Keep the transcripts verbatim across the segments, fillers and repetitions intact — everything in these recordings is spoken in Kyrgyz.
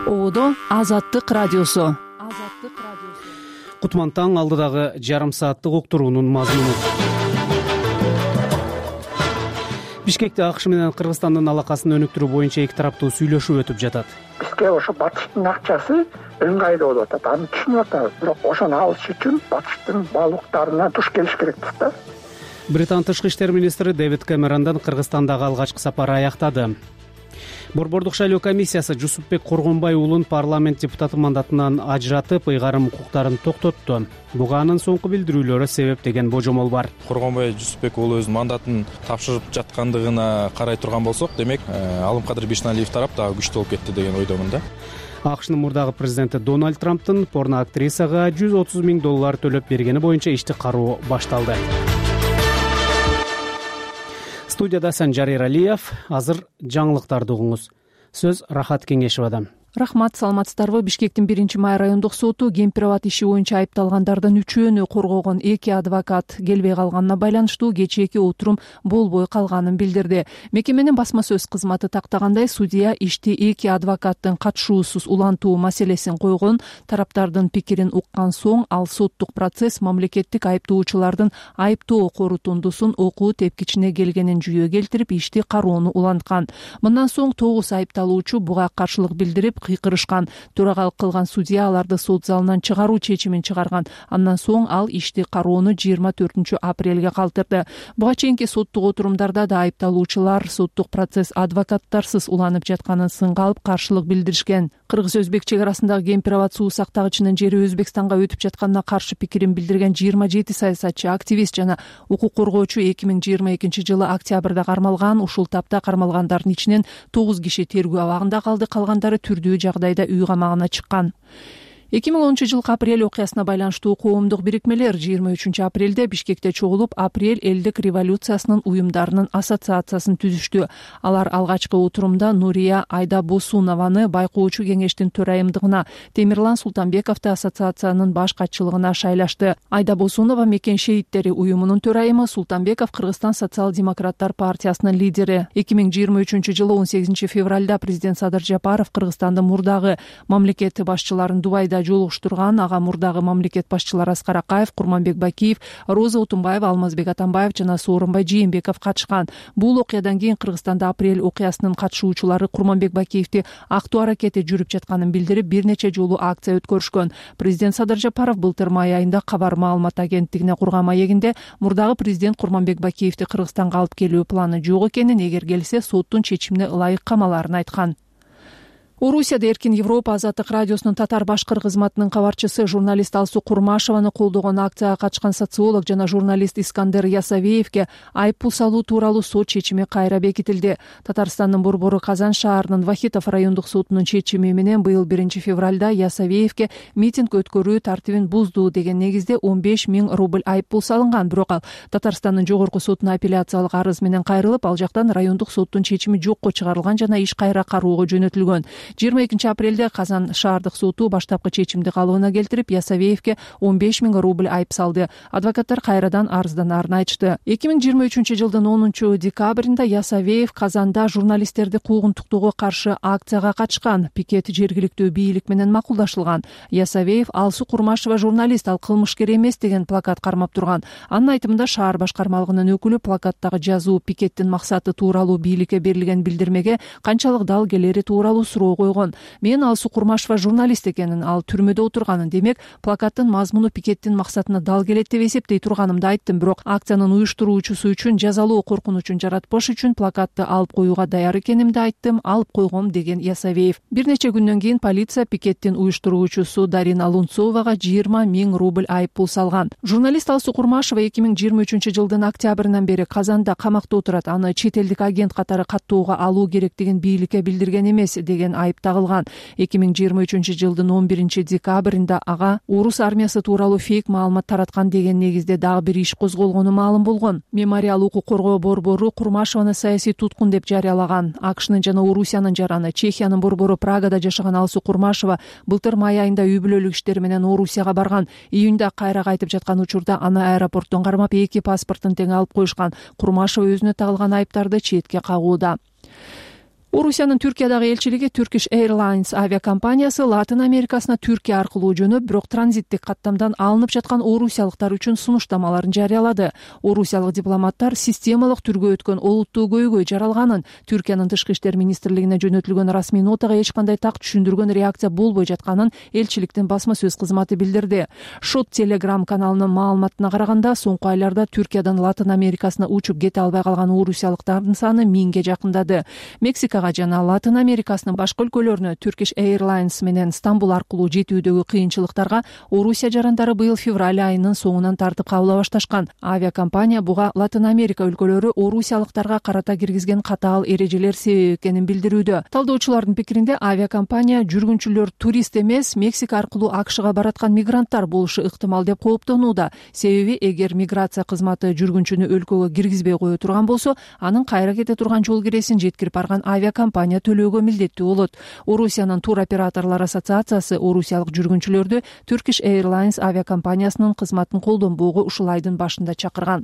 Ободо Азаттык радиосу. Кутман таң алдыдагы жарым сааттык уктуруунун мазмуну. Бишкекте АКШ менен Кыргызстандын алакасын өнүктүрүү боюнча эки тараптуу сүйлөшүү өтүп жатат. Бизге ошо батыштын акчасы ыңгайлуу болуп атат. Аны түшүнүп атабыз, бирок ошону алыш үчүн батыштын баалуулуктарына туш келиш керекпиз да. Британ тышкы иштер министри Дэвид Кэмерондун Кыргызстандагы алгачкы сапары аяктады. Борбордук шайлоо комиссиясы Жусупбек Коргонбай уулун парламент депутаты мандатынан ажыратып, ыйгарым укуктарын токтотту. Буга анын соңку билдирүүлөрү себеп деген божомол бар. Коргонбай Жусупбек уулу өзүнүн мандатын тапшырып жаткандыгына карай турган болсок, демек Алымкадыр Бишналиев тарап дагы күчтүү болуп кетти деген ойдомун да. АКШнын мурдагы президенти Дональд Трамптын порно актрисага жүз отуз миң доллар төлөп бергени боюнча ишти кароо башталды. Студияда Санжар Эралиев. Азыр жаңылыктарды угуңуз. Сөз Рахат Кеңешевадан. Рахмат, саламатсыздарбы? Бишкектин биринчи май райондук соту кемпир-абад иши боюнча айыпталгандардын үчөөнү коргогон эки адвокат келбей калганына байланыштуу кечээки отурум болбой калганын билдирди. Мекеменин басма сөз кызматы тактагандай, судья ишти эки адвокаттын катышуусуз улантуу маселесин койгон. Тараптардын пикирин уккан соң ал соттук процесс мамлекеттик айыптоочулардын айыптоо корутундусун окуу тепкичине келгенин жүйө келтирип, ишти кароону уланткан. Мындан соң тогуз айыпталуучу буга каршылык билдирип кыйкырышкан. Төрагалык кылган судья аларды сот залынан чыгаруу чечимин чыгарган. Андан соң ал ишти кароону жыйырма төртүнчү апрелге калтырды. Буга чейинки соттук отурумдарда да айыпталуучулар соттук процесс адвокаттарсыз уланып жатканын сынга алып каршылык билдиришкен. Кыргыз-өзбек чек арасындагы кемпир-абад суу сактагычынын жери Өзбекстанга өтүп жатканына каршы пикирин билдирген жыйырма жети саясатчы, активист жана укук коргоочу эки миң жыйырма экинчи жылы октябрда кармалган. Ушул тапта кармалгандардын ичинен тогуз киши тергөө абагында калды, калгандары түрдүү жагдайда үй камагына чыккан. эки миң онунчу жылкы апрель окуясына байланыштуу коомдук бирикмелер жыйырма үчүнчү апрелде Бишкекте чогулуп, апрель элдик революциясынын уюмдарынын ассоциациясын түзүштү. Алар алгачкы отурумда Нурия Айдабосунованы байкоочу кеңештин төрайымдыгына, Темирлан Султанбековду ассоциациянын баш катчылыгына шайлашты. Айдабосунова Мекен шейиттери уюмунун төрайымы, Султанбеков Кыргызстан социал-демократтар партиясынын лидери. эки миң жыйырма үчүнчү жылы он сегизинчи февралда президент Садыр Жапаров Кыргызстандын мурдагы мамлекет башчыларын Дубайда жолугуштурган. Ага мурдагы мамлекет башчылары Аскар Акаев, Курманбек Бакиев, Роза Утунбаева, Алмазбек Атамбаев жана Сооронбай Жээнбеков катышкан. Бул окуядан кийин Кыргызстанда апрель окуясынын катышуучулары Курманбек Бакиевди актоо аракети жүрүп жатканын билдирип, бир нече жолу акция өткөрүшкөн. Президент Садыр Жапаров былтыр май айында Кабар маалымат агенттигине курган маегинде мурдагы президент Курманбек Бакиевди Кыргызстанга алып келүү планы жок экенин, эгер келсе соттун чечимине ылайык камаларын айткан. Орусияда Эркин Европа Азаттык радиосунун татар-башкыр кызматынын кабарчысы журналист Алсу Курмашеваны колдогон акцияга катышкан социолог жана журналист Искандер Ясавеевге айыппул салуу тууралуу сот чечими кайра бекитилди. Татарстандын борбору Казан шаарынын Вахитов райондук сотунун чечими менен быйыл биринчи февралда Ясавеевге митинг өткөрүү тартибин бузду деген негизде он беш миң рубль айыппул салынган. Бирок ал Татарстандын жогорку сотуна апелляциялык арыз менен кайрылып, ал жактан райондук соттун чечими жокко чыгарылган жана иш кайра кароого жөнөтүлгөн. жыйырма экинчи апрелде Казан шаардык соту баштапкы чечимди калыбына келтирип, Ясавеевге он беш миң рубль айып салды. Адвокаттар кайрадан арызданарын айтышты. эки миң жыйырма үчүнчү жылдын онунчу декабрында Ясавеев Казанда журналисттерди куугунтуктоого каршы акцияга катышкан. Пикет жергиликтүү бийлик менен макулдашылган. Ясавеев Алсу Курмашева журналист, ал кылмышкер эмес деген плакат кармап турган. Анын айтымында шаар башкармалыгынын өкүлү плакаттагы жазуу пикеттин максаты тууралуу бийликке берилген билдирмеге канчалык дал келери тууралуу суроо койгон. Мен Алсу Курмашева журналист экенин, ал түрмөдө отурганын, демек плакаттын мазмуну пикеттин максатына дал келет деп эсептей турганымды айттым. Бирок акциянын уюштуруучусу үчүн жазалоо коркунучун жаратпаш үчүн плакатты алып коюуга даяр экенимди айттым, алып койгом деген Ясавеев. Бир нече күндөн кийин полиция пикеттин уюштуруучусу Дарина Лунцовага жыйырма миң рубль айыппул салган. Журналист Алсу Курмашева эки миң жыйырма үчүнчү жылдын октябрынан бери Казанда камакта отурат. Аны чет элдик агент катары каттоого алуу керектигин бийликке билдирген эмес деген айып тагылган. эки миң жыйырма үчүнчү жылдын он биринчи декабрында ага орус армиясы тууралуу фейк маалымат тараткан деген негизде дагы бир иш козголгону маалым болгон. Мемориал укук коргоо борбору Курмашеваны саясий туткун деп жарыялаган. АКШнын жана Орусиянын жараны, Чехиянын борбору Прагада жашаган Алсу Курмашева былтыр май айында үй бүлөлүк иштери менен Орусияга барган. Июнда кайра кайтып жаткан учурда аны аэропорттон кармап эки паспортун тең алып коюшкан. Курмашева өзүнө тагылган айыптарды четке кагууда. Орусиянын Түркиядагы элчилиги Turkish Airlines авиакомпаниясы Латын Америкасына Түркия аркылуу жөнөп, бирок транзиттик каттамдан алынып жаткан орусиялыктар үчүн сунуштамаларын жарыялады. Орусиялык дипломаттар системалык түргө өткөн олуттуу көйгөй жаралганын, Түркиянын тышкы иштер министрлигине жөнөтүлгөн расмий нотага эч кандай так түшүндүргөн реакция болбой жатканын элчиликтин басма сөз кызматы билдирди. Шот Telegram каналынын маалыматына караганда, соңку айларда Түркиядан Латын Америкасына учуп кете албай калган орусиялыктардын саны миңге жакындады. Мексика жана Латын Америкасынын башка өлкөлөрүнө Turkish Airlines менен Стамбул аркылуу жетүүдөгү кыйынчылыктарга Орусия жарандары быйыл февраль айынын соңунан тартып кабыла башташкан. Авиакомпания буга Латын Америка өлкөлөрү орусиялыктарга карата киргизген катаал эрежелер себеп экенин билдирүүдө. Талдоочулардын пикиринде, авиакомпания жүргүнчүлөр турист эмес, Мексика аркылуу АКШга бараткан мигранттар болушу ыктымал деп кооптонууда. Себеби эгер миграция кызматы жүргүнчүнү өлкөгө киргизбей кое турган болсо, анын кайра кете турган жол киресин жеткирип барган авиа компания төлөөгө милдеттүү болот. Орусиянын туроператорлор ассоциациясы орусиялык жүргүнчүлөрдү Turkish Airlines авиакомпаниясынын кызматын колдонбоого ушул айдын башында чакырган.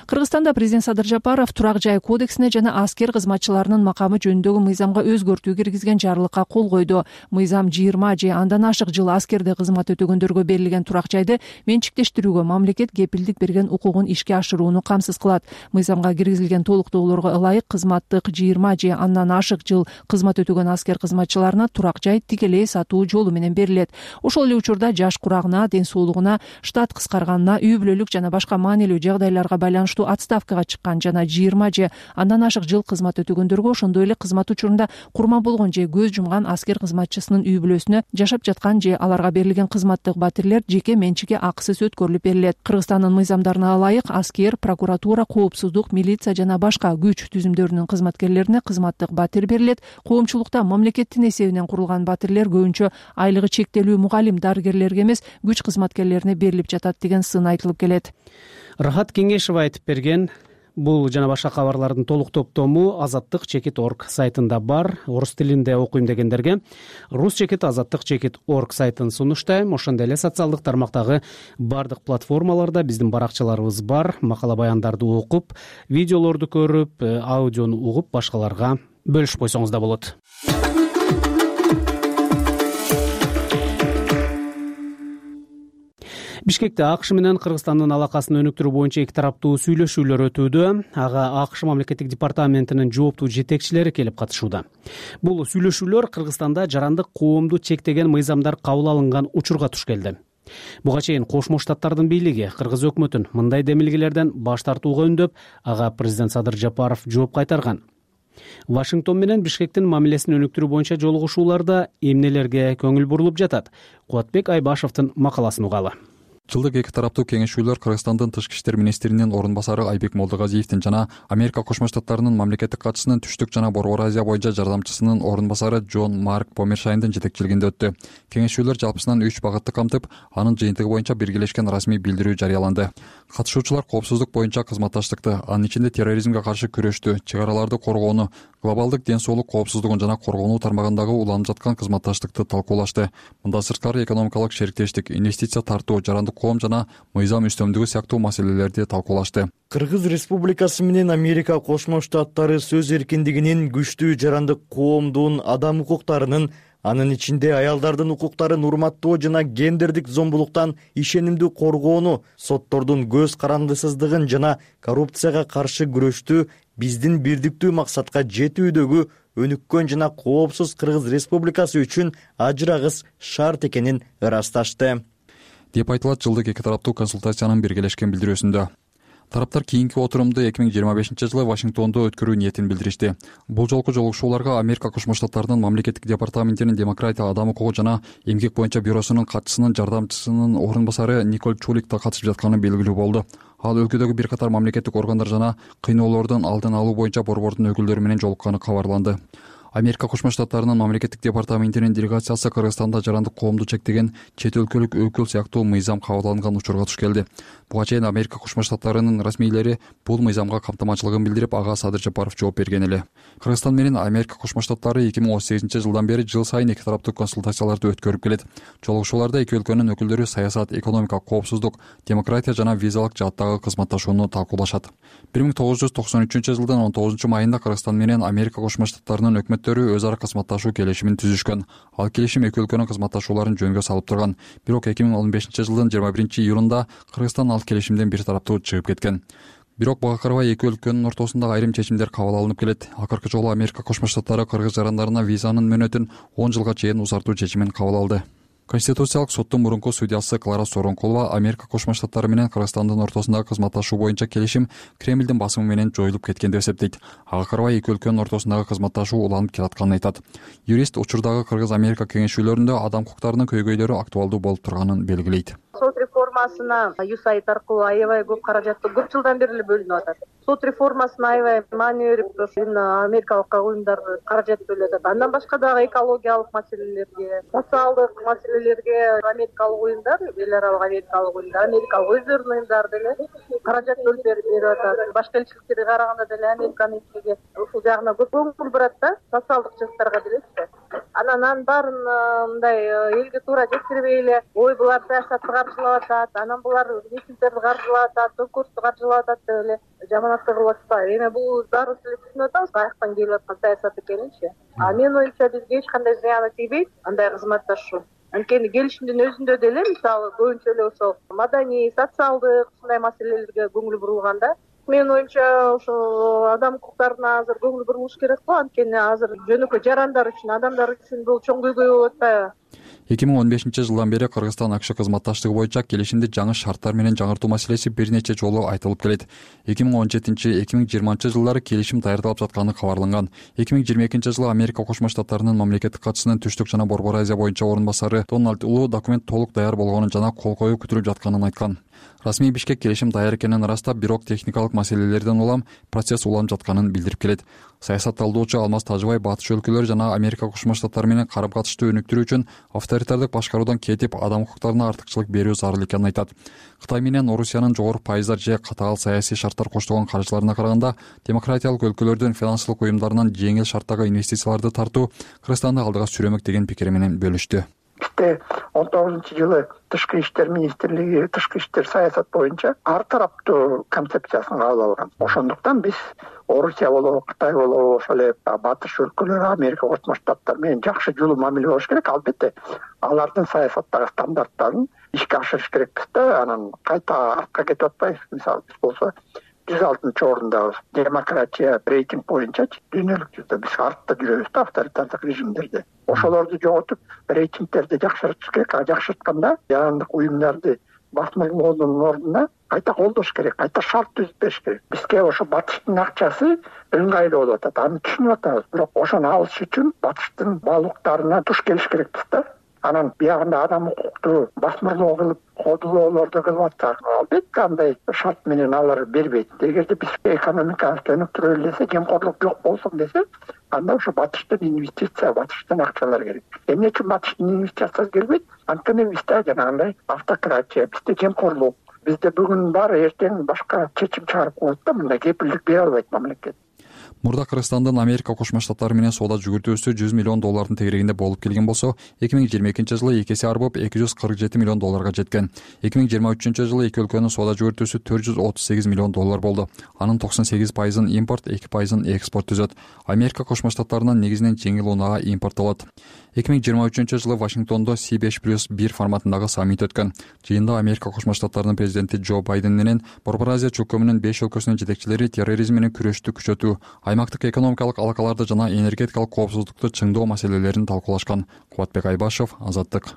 Кыргызстанда президент Садыр Жапаров турак жай кодексине жана аскер кызматчыларынын макамы жөнүндөгү мыйзамга өзгөртүү киргизген жарлыкка кол койду. Мыйзам жыйырма же андан ашык жыл аскерде кызмат өтөгөндөргө берилген турак жайды менчиктештирүүгө мамлекет кепилдик берген укугун ишке ашырууну камсыз кылат. Мыйзамга киргизилген толуктоолорго ылайык кызматтык жыйырма же андан ашык жыл кызмат өтөгөн аскер кызматчыларына турак жай тикелей сатуу жолу менен берилет. Ошол эле учурда жаш курагына, ден соолугуна, штат кыскарганына, үй бүлөлүк жана башка маанилүү жагдайларга байланыштуу отставкага чыккан жана жыйырма же андан ашык жыл кызмат өтөгөндөргө, ошондой эле кызмат учурунда курман болгон же көз жумган аскер кызматчысынын үй бүлөсүнө жашап жаткан же аларга берилген кызматтык батирлер жеке менчикке акысыз өткөрүлүп берилет. Кыргызстандын мыйзамдарына ылайык аскер, прокуратура, коопсуздук, милиция жана башка күч түзүмдөрүнүн кызматкерлерине кызматтык батир берилет. Коомчулукта мамлекеттин эсебинен курулган батирлер көбүнчө айлыгы чектелүү мугалим дарыгерлерге эмес, күч кызматкерлерине берилип жатат деген сын айтылып келет. Рахат Кеңешева айтып берген. Бул жана башка кабарлардын толук топтому азаттык чекит точка орг сайтында бар. Орус тилинде окуйм дегендерге рус чекит азаттык чекит точка орг сайтын сунуштайм. Ошондой эле социалдык тармактагы бардык платформаларда биздин баракчаларыбыз бар. Макала баяндарды окуп, видеолорду көрүп, аудиону угуп башкаларга бөлүшүп койсоңуз да болот. Бишкекте АКШ менен Кыргызстандын алакасын өнүктүрүү боюнча эки тараптуу сүйлөшүүлөр өтүүдө. Ага АКШ мамлекеттик департаментинин жооптуу жетекчилери келип катышууда. Бул сүйлөшүүлөр Кыргызстанда жарандык коомду чектеген мыйзамдар кабыл алынган учурга туш келди. Буга чейин Кошмо Штаттардын бийлиги Кыргыз өкмөтүн мындай демилгелерден баш тартууга үндөп, ага президент Садыр Жапаров жооп кайтарган. Вашингтон менен Бишкектин мамилесин өнүктүрүү боюнча жолугушууларда эмнелерге көңүл бурулуп жатат? Кубатбек Айбашевдин макаласын угалы. Жылдык эки тараптуу кеңешүүлөр Кыргызстандын тышкы иштер министринин орун басары Айбек Молдогазиевдин жана Америка Кошмо Штаттарынын мамлекеттик катчысынын Түштүк жана Борбор Азия боюнча жардамчысынын орун басары Джон Марк Помершайндын жетекчилигинде өттү. Кеңешүүлөр жалпысынан үч багытты камтып, анын жыйынтыгы боюнча биргелешкен расмий билдирүү жарыяланды. Катышуучулар коопсуздук боюнча кызматташтыкты, анын ичинде терроризмге каршы күрөштү, чек араларды коргоону, глобалдык ден соолук коопсуздугун жана коргонуу тармагындагы уланып жаткан кызматташтыкты талкуулашты. Мында сырткары экономикалык шериктештик, инвестиция тартуу, жарандык коом жана мыйзам үстөмдүгү сыяктуу маселелерди талкуулашты. Кыргыз Республикасы менен Америка Кошмо Штаттары сөз эркиндигинин, күчтүү жарандык коомдун адам укуктарынын, анын ичинде аялдардын укуктарын урматтоо жана гендердик зомбулуктан ишенимдүү коргоону, соттордун көз карандысыздыгын жана коррупцияга каршы күрөштү биздин бирдиктүү максатка жетүүдөгү өнүккөн жана коопсуз Кыргыз Республикасы үчүн ажырагыс шарт экенин ырасташты деп айтылат жылдык эки тараптуу консультациянын биргелешкен билдирүүсүндө. Тараптар кийинки отурумду эки миң жыйырма бешинчи жылы Вашингтондо өткөрүү ниетин билдиришти. Бул жолку жолугушууларга Америка Кошмо Штаттарынын мамлекеттик департаментинин демократия, адам укугу жана эмгек боюнча бюросунун катчысынын жардамчысынын орун басары Николь Чулик да катышып жатканы белгилүү болду. Ал өлкөдөгү бир катар мамлекеттик органдар жана кыйноолордун алдын алуу боюнча борбордун өкүлдөрү менен жолукканы кабарланды. Америка Кошмо Штаттарынын мамлекеттик департаментинин делегациясы Кыргызстанда жарандык коомду чектеген чет өлкөлүк өкүл сыяктуу мыйзам кабыл алынган учурга туш келди. Буга чейин Америка Кошмо Штаттарынын расмийлери бул мыйзамга камтамачылыгын билдирип, ага Садыр Жапаров жооп берген эле. Кыргызстан менен Америка Кошмо Штаттары эки миң он сегизинчи жылдан бери жыл сайын эки тараптуу консультацияларды өткөрүп келет. Жолугушууларда эки өлкөнүн өкүлдөрү саясат, экономика, коопсуздук, демократия жана визалык жааттагы кызматташууну талкуулашат. бир миң тогуз жүз токсон үчүнчү жылдын он тогузунчу майында Кыргызстан менен Америка Кошмо Штаттарынын өкмөттөрү өз ара кызматташуу келишимин түзүшкөн. Ал келишим эки өлкөнүн кызматташууларын жөнгө салып турган. Бирок эки миң он бешинчи жылдын жыйырма биринчи июлунда Кыргызстан ал келишимден бир тараптуу чыгып кеткен. Бирок буга карабай эки өлкөнүн ортосунда айрым чечимдер кабыл алынып келет. Акыркы жолу Америка Кошмо Штаттары кыргыз жарандарына визанын мөөнөтүн он жылга чейин узартуу чечимин кабыл алды. Конституциялык соттун мурунку судьясы Клара Соронкулова Америка Кошмо Штаттары менен Кыргызстандын ортосундагы кызматташуу боюнча келишим Кремлдин басымы менен жоюлуп кеткен деп эсептейт. Ага карабай эки өлкөнүн ортосундагы кызматташуу уланып келатканын айтат. Юрист учурдагы Кыргыз-Америка кеңешүүлөрүндө адам укуктарынын көйгөйлөрү актуалдуу болуп турганын белгилейт. Сот реформасына юсайт аркылуу аябай көп каражатты көп жылдан бери эле бөлүнүп атат. Сот реформасына аябай маани берип, америкалык уюмдар каражат бөлүп атат. Андан башка дагы экологиялык маселелерге, социалдык маселелерге америкалык уюмдар, эл аралык америкалык уюмдар, америкалык өздөрүнүн уюмдары деле каражат бөлүп берип атат. Башка элчиликтерге караганда деле Американын элчилиги ушул жагына көп көңүл бурат да, социалдык жактарга делечи. Анан анын баарын мындай элге туура жеткирбей эле, ой булар саясатты каржылап атат, анан булар митингдерди каржылап атат, конкурсту каржылап атат деп эле жаманатты кылып атпайбы. Эми бул баарыбыз эле түшүнүп атабыз, каяктан келип аткан саясат экенинчи. А менин оюмча бизге эч кандай зыяны тийбейт андай кызматташуу. Анткени келишимдин өзүндө деле мисалы көбүнчө эле ошол маданий, социалдык ушундай маселелерге көңүл бурулганда, менин оюмча ошо адам укуктарына азыр көңүл бурулуш керек го. Анткени азыр жөнөкөй жарандар үчүн, адамдар үчүн бул чоң көйгөй болуп атпайбы? эки миң он бешинчи жылдан бери Кыргызстан АКШ кызматташтыгы боюнча келишимди жаңы шарттар менен жаңыртуу маселеси бир нече жолу айтылып келет. эки миң он жетинчи эки миң жыйырманчы жылдары келишим даярдалып жатканы кабарланган. эки миң жыйырма экинчи жылы Америка Кошмо Штаттарынын мамлекеттик катчысынын Түштүк жана Борбор Азия боюнча орун басары Дональд Улуу документ толук даяр болгонун жана кол коюу күтүлүп жатканын айткан. Расмий Бишкек келишим даяр экенин ырастап, бирок техникалык маселелерден улам процесс уланып жатканын билдирип келет. Саясатталдоочу Алмаз Тажыбай батыш өлкөлөр жана Америка Кошмо Штаттары менен карым-катышты өнүктүрүү үчүн авторитардык башкаруудан кетип, адам укуктарына артыкчылык берүү зарыл экенин айтат. Кытай менен Орусиянын жогорку пайыздар же катаал саясий шарттар коштогон каржыларына караганда, демократиялык өлкөлөрдүн финансылык уюмдарынан жеңил шарттагы инвестицияларды тартуу Кыргызстанды алдыга сүрөмөк деген пикири менен бөлүштү. Бизде он тогузунчу жылы Тышкы иштер министрлиги тышкы иштер саясат боюнча ар тараптуу концепциясын кабыл алган. Ошондуктан биз Орусия болобу, Кытай болобу, ошол эле батыш өлкөлөрү, Америка Кошмо Штаттары менен жакшы жолу мамиле болуш керек. Албетте, алардын саясаттагы стандарттарын ишке ашырыш керекпиз да, анан кайта артка кетип атпайбыз. Мисалы биз болсо жүз алтынчы орындабыз. Демократия рейтинг боюнча дүйнөлүк жүздө биз артта жүрөбүз да, авторитардык режимдерде. Ошолорду жоготуп, рейтингтерди жакшыртыш керек. А жакшыртканда жарандык уюмдарды басмырлоонун ордуна кайта колдош керек, кайта шарт түзүп бериш керек. Бизге ошо батыштын акчасы ыңгайлуу болуп атат, аны түшүнүп атабыз. Бирок ошону алыш үчүн батыштын баалуулуктарына туш келиш керекпиз да. Анан биягында адам укукту басмырлоо кылып, кодулоолорду кылып атсак, албетте андай шарт менен алар бербейт. Эгерде биз экономикабызды өнүктүрөлү десе, жемкорлук жок болсун десе, анда ошо батыштын инвестиция, батыштын акчалары керек. Эмне үчүн батыштын инвестициясы келбейт? Анткени бизде жанагындай автократия, бизде жемкорлук, бизде бүгүн бар, эртең башка чечим чыгарып коет да, мындай кепилдик бере албайт мамлекет. Мурда Кыргызстандын Америка Кошмо Штаттары менен соода жүгүртүүсү жүз миллион доллардын тегерегинде болуп келген болсо, эки миң жыйырма экинчи жылы эки эсе арбып эки жүз кырк жети миллион долларга жеткен. эки миң жыйырма үчүнчү жылы эки өлкөнүн соода жүгүртүүсү төрт жүз отуз сегиз миллион доллар болду. Анын токсон сегиз пайызын импорт, эки пайызын экспорт түзөт. Америка Кошмо Штаттарынан негизинен жеңил унаага импорттолот. эки миң жыйырма үчүнчү жылы Вашингтондо Си беш плюс бир форматындагы саммит өткөн. Жыйында Америка Кошмо Штаттарынын президенти Джо Байден менен Борбор Азия чөлкөмүнүн беш өлкөсүнүн жетекчилери терроризм менен күрөштү күчөтүү, аймактык экономикалык алакаларды жана энергетикалык коопсуздукту чыңдоо маселелерин талкуулашкан. Кубатбек Айбашев, Азаттык.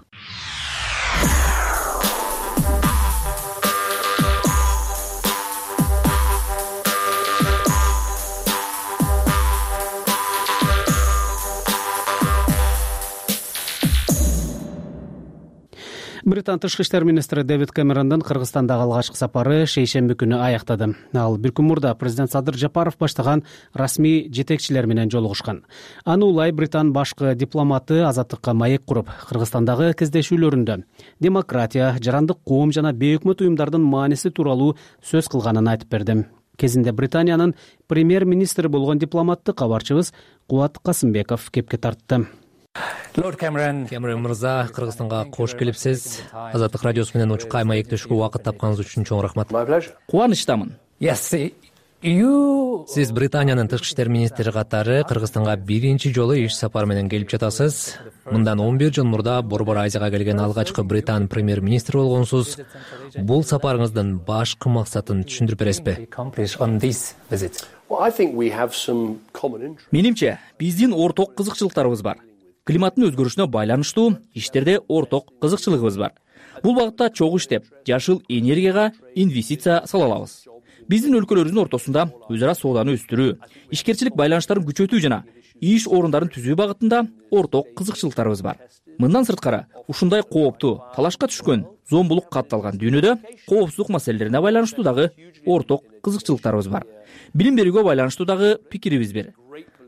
Британ тышкы иштер министри Дэвид Кэмерондун Кыргызстандагы алгачкы сапары шейшемби күнү аяктады. Ал бир күн мурда президент Садыр Жапаров баштаган расмий жетекчилер менен жолугушкан. Аны улай Британ башкы дипломаты азаттыкка маек куруп, Кыргызстандагы кездешүүлөрүндө демократия, жарандык коом жана бейөкмөт уюмдардын мааниси тууралуу сөз кылганын айтып берди. Кезинде Британиянын премьер-министри болгон дипломатты кабарчыбыз Кубат Касымбеков кепке тартты. Лорд Кэмерон Кэмерон мырза, Кыргызстанга кош келипсиз. Азаттык радиосу менен учукка маектешүүгө убакыт тапканыңыз үчүн чоң рахмат. Кубанычтамын. Сиз Британиянын тышкы иштер министри катары Кыргызстанга биринчи жолу иш сапар менен келип жатасыз. Мындан он бир жыл мурда Борбор Азияга келген алгачкы Британ премьер-министри болгонсуз. Бул сапарыңыздын башкы максатын түшүндүрүп бересизби? Менимче, биздин орток кызыкчылыктарыбыз бар. Климаттын өзгөрүшүнө байланыштуу иштерде орток кызыкчылыгыбыз бар. Бул багытта чогуу иштеп, жашыл энергияга инвестиция сала алабыз. Биздин өлкөлөрүбүздүн ортосунда өз ара сооданы өстүрүү, ишкерчилик байланыштарын күчөтүү жана иш орундарын түзүү багытында орток кызыкчылыктарыбыз бар. Мындан сырткары, ушундай кооптуу, талашка түшкөн, зомбулук катталган дүйнөдө коопсуздук маселелерине байланыштуу дагы орток кызыкчылыктарыбыз бар. Билим берүүгө байланыштуу дагы пикирибиз бир.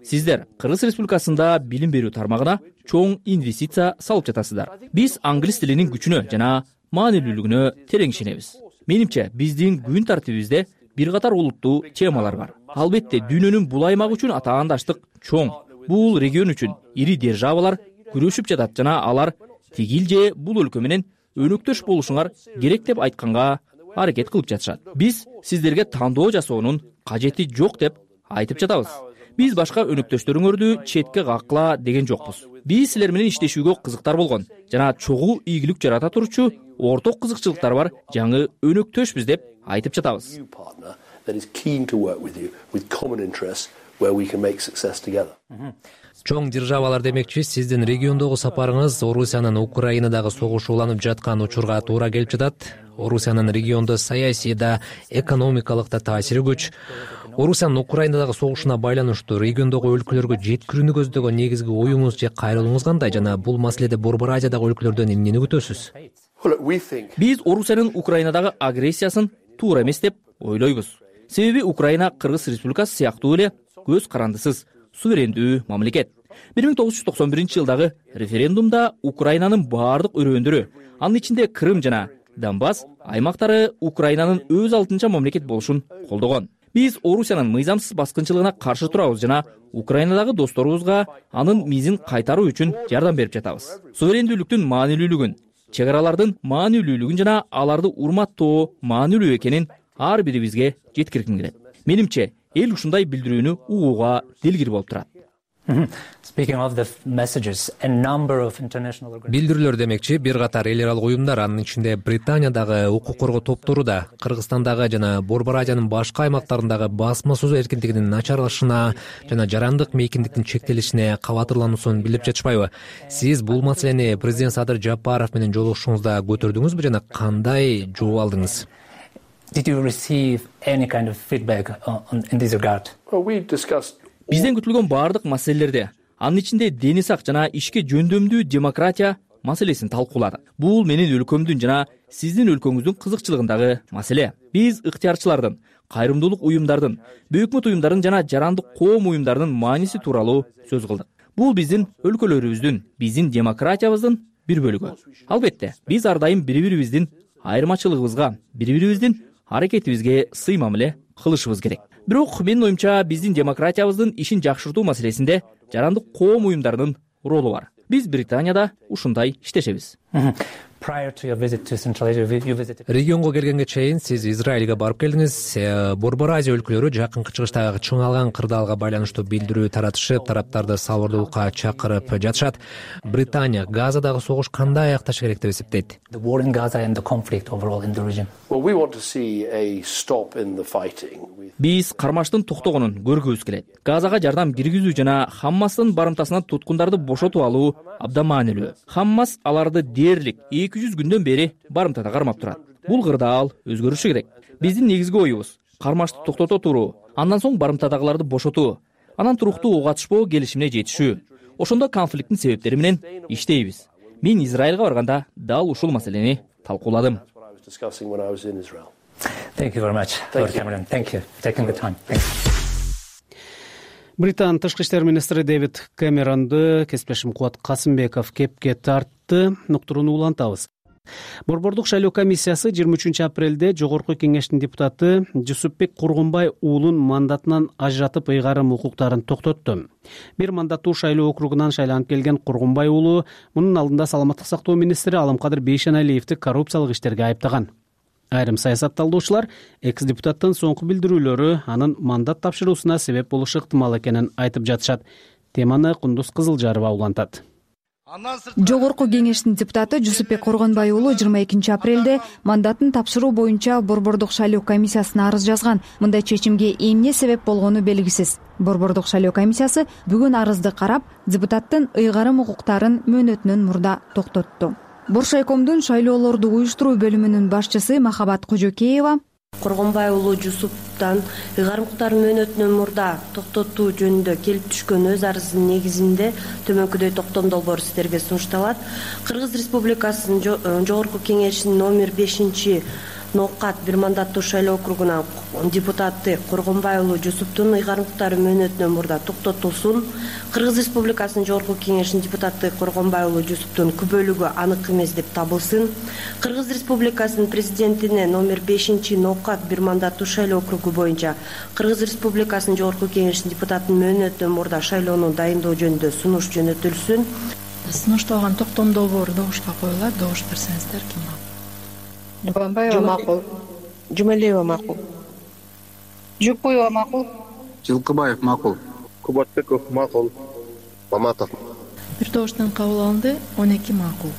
Сиздер Кыргыз Республикасында билим берүү тармагына чоң инвестиция салып жатасыздар. Биз англис тилинин күчүнө жана маанилүүлүгүнө терең ишенебиз. Менимче, биздин күн тартибибизде бир катар олуттуу темалар бар. Албетте, дүйнөнүн бул аймагы үчүн атаандаштык чоң. Бул регион үчүн ири державалар күрөшүп жатат жана алар тигил же бул өлкө менен өнөктөш болушуңар керек деп айтканга аракет кылып жатышат. Биз сиздерге тандоо жасоонун кажети жок деп айтып жатабыз. Биз башка өнөктөштөрүңөрдү четке каккыла деген жокпуз. Биз силер менен иштешүүгө кызыктар болгон жана чогуу ийгилик жарата турчу орток кызыкчылыктар бар жаңы өнөктөшбүз деп айтып жатабыз. Чоң державалар демекчи, сиздин региондогу сапарыңыз Орусиянын Украинадагы согушу уланып жаткан учурга туура келип жатат. Орусиянын региондо саясий да, экономикалык да таасири күч. Орусиянын Украинадагы согушуна байланыштуу региондогу өлкөлөргө жеткирүүнү көздөгөн негизги оюңуз же кайрылууңуз кандай жана бул маселеде Борбор Азиядагы өлкөлөрдөн эмнени күтөсүз? Биз Орусиянын Украинадагы агрессиясын туура эмес деп ойлойбуз. Себеби Украина Кыргыз Республикасы сыяктуу эле көз карандысыз, суверендүү мамлекет. бир миң тогуз жүз токсон биринчи жылдагы референдумда Украинанын баардык өрөөндөрү, анын ичинде Крым жана Донбасс аймактары Украинанын өз алдынча мамлекет болушун колдогон. Биз Орусиянын мыйзамсыз баскынчылыгына каршы турабыз жана Украинадагы досторубузга анын мизин кайтаруу үчүн жардам берип жатабыз. Суверендүүлүктүн маанилүүлүгүн, чек аралардын маанилүүлүгүн жана аларды урматтоо маанилүү экенин ар бирибизге жеткиргим келет. Менимче, эл ушундай билдирүүнү угууга дилгир болуп турат. Билдирүүлөр демекчи, бир катар эл аралык уюмдар, анын ичинде Британиядагы укук коргоо топтору да Кыргызстандагы жана Борбор Азиянын башка аймактарындагы басма сөз эркиндигинин начарлашына жана жарандык мейкиндиктин чектелишине кабатырлануусун билдирип жатышпайбы? Сиз бул маселени президент Садыр Жапаров менен жолугушуңузда көтөрдүңүзбү жана кандай жооп алдыңыз? Бизден күтүлгөн баардык маселелерде, анын ичинде дени сак жана ишке жөндөмдүү демократия маселесин талкууладык. Бул менин өлкөмдүн жана сиздин өлкөңүздүн кызыкчылыгындагы маселе. Биз ыктыярчылардын, кайрымдуулук уюмдардын, бейөкмөт уюмдардын жана жарандык коом уюмдарынын мааниси тууралуу сөз кылдык. Бул биздин өлкөлөрүбүздүн, биздин демократиябыздын бир бөлүгү. Албетте, биз ар дайым бири-бирибиздин айырмачылыгыбызга, бири-бирибиздин аракетибизге сый мамиле кылышыбыз керек. Бирок менин оюмча биздин демократиябыздын ишин жакшыртуу маселесинде жарандык коом уюмдарынын ролу бар. Биз Британияда ушундай иштешебиз. Регионго келгенге чейин сиз Израилге барып келдиңиз. Борбор Азия өлкөлөрү жакынкы чыгыштагы чыңалган кырдаалга байланыштуу билдирүү таратышып, тараптарды салгылуулукка чакырып жатышат. Британия Газадагы согуш кандай аякташы керек деп эсептейт? Биз кармаштын токтогонун көргүбүз келет. Газага жардам киргизүү жана Хаммастын барымтасынан туткундарды бошотуп алуу абдан маанилүү. Хаммас аларды дээрлик эки жүз күндөн бери барымтада кармап турат. Бул кырдаал өзгөрүшү керек. Биздин негизги оюбуз кармашты токтото туруу, андан соң барымтадагыларды бошотуу, анан туруктуу ого атышпоо келишимине жетишүү. Ошондо конфликттин себептери менен иштейбиз. мен Израилга барганда дал ушул маселени талкууладым. Британ тышкы иштер министри Дэвид Кэмеронду кесиптешим Кубат Касымбеков кепке тартты. Уктурууну улантабыз. Борбордук шайлоо комиссиясы жыйырма үчүнчү апрелде Жогорку кеңештин депутаты Жусупбек Кургунбай уулун мандатынан ажыратып ыйгарым укуктарын токтотту. Бир мандаттуу шайлоо округунан шайланып келген Кургунбай уулу мунун алдында саламаттык сактоо министри Алымкадыр Бейшеналиевди коррупциялык иштерге айыптаган. Айрым саясат талдоочулар экс депутаттын соңку билдирүүлөрү анын мандат тапшыруусуна себеп болушу ыктымал экенин айтып жатышат. Теманы Кундуз Кызылжарова улантат. Жогорку кеңештин депутаты Жусупбек Кургунбай уулу жыйырма экинчи апрелде мандатын тапшыруу боюнча Борбордук шайлоо комиссиясына арыз жазган. Мындай чечимге эмне себеп болгону белгисиз. Борбордук шайлоо комиссиясы бүгүн арызды карап, депутаттын ыйгарым укуктарын мөөнөтүнөн мурда токтотту. Боршайкомдун шайлоолорду уюштуруу бөлүмүнүн башчысы Махабат Кожокеева Кургунбай уулу Жусуптан ыйгарым укуктарын мөөнөтүнөн мурда токтотуу жөнүндө келип түшкөн өз арызынын негизинде төмөнкүдөй токтом долбоору сиздерге сунушталат. Кыргыз Республикасынын Жогорку кеңешинин номер бешинчи Ноокат бир мандаттуу шайлоо округунан депутаты Кургунбай уулу Жусуптун ыйгарым укуктары мөөнөтүнөн мурда токтотулсун. Кыргыз Республикасынын Жогорку кеңешинин депутаты Кургунбай уулу Жусуптун күбөлүгү анык эмес деп табылсын. Кыргыз Республикасынын президентине номер бешинчи Ноокат бир мандаттуу шайлоо округу боюнча Кыргыз Республикасынын Жогорку кеңешинин депутатынын мөөнөтүнөн мурда шайлоону дайындоо жөнүндө сунуш жөнөтүлсүн. Сунушталган токтом долбоору добушка коюлат. Добуш берсеңиздер ким макул? Жумабаева макул. Жумалиева макул. Жукуева макул. Жылкыбаев макул. Кубатбеков макул. Маматов. Бир добуштан кабыл алынды. он эки макул.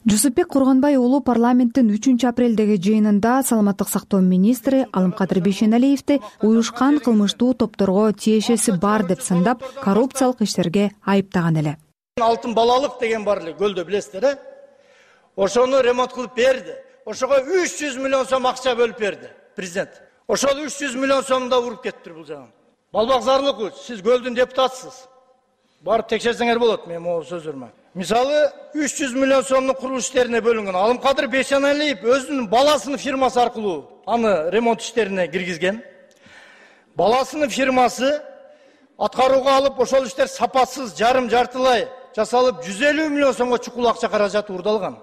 Жусупбек Кургунбай уулу парламенттин үчүнчү апрелдеги жыйынында саламаттык сактоо министри Алымкадыр Бейшеналиевди уюшкан кылмыштуу топторго тиешеси бар деп сындап, коррупциялык иштерге айыптаган эле. Алтын балалык деген бар эле көлдө, билесиздер, э? Ошону ремонт кылып берди. Ошого үч жүз миллион сом акча бөлүп берди президент. Ошол үч жүз миллион сомду да уруп кетиптир бул жаган. Балбак Зарлыкович, сиз көлдүн депутатысыз. Барып текшерсеңер болот мен могу сөзүрмө. Мисалы үч жүз миллион сомдун курулуш иштерине бөлүнгөн. Алымкадыр Бейшеналиев өзүнүн баласынын фирмасы аркылуу аны ремонт иштерине киргизген. Баласынын фирмасы аткарууга алып, ошол иштер сапасыз, жарым жартылай жасалып, жүз элүү миллион сомго чукул акча каражаты урдалган.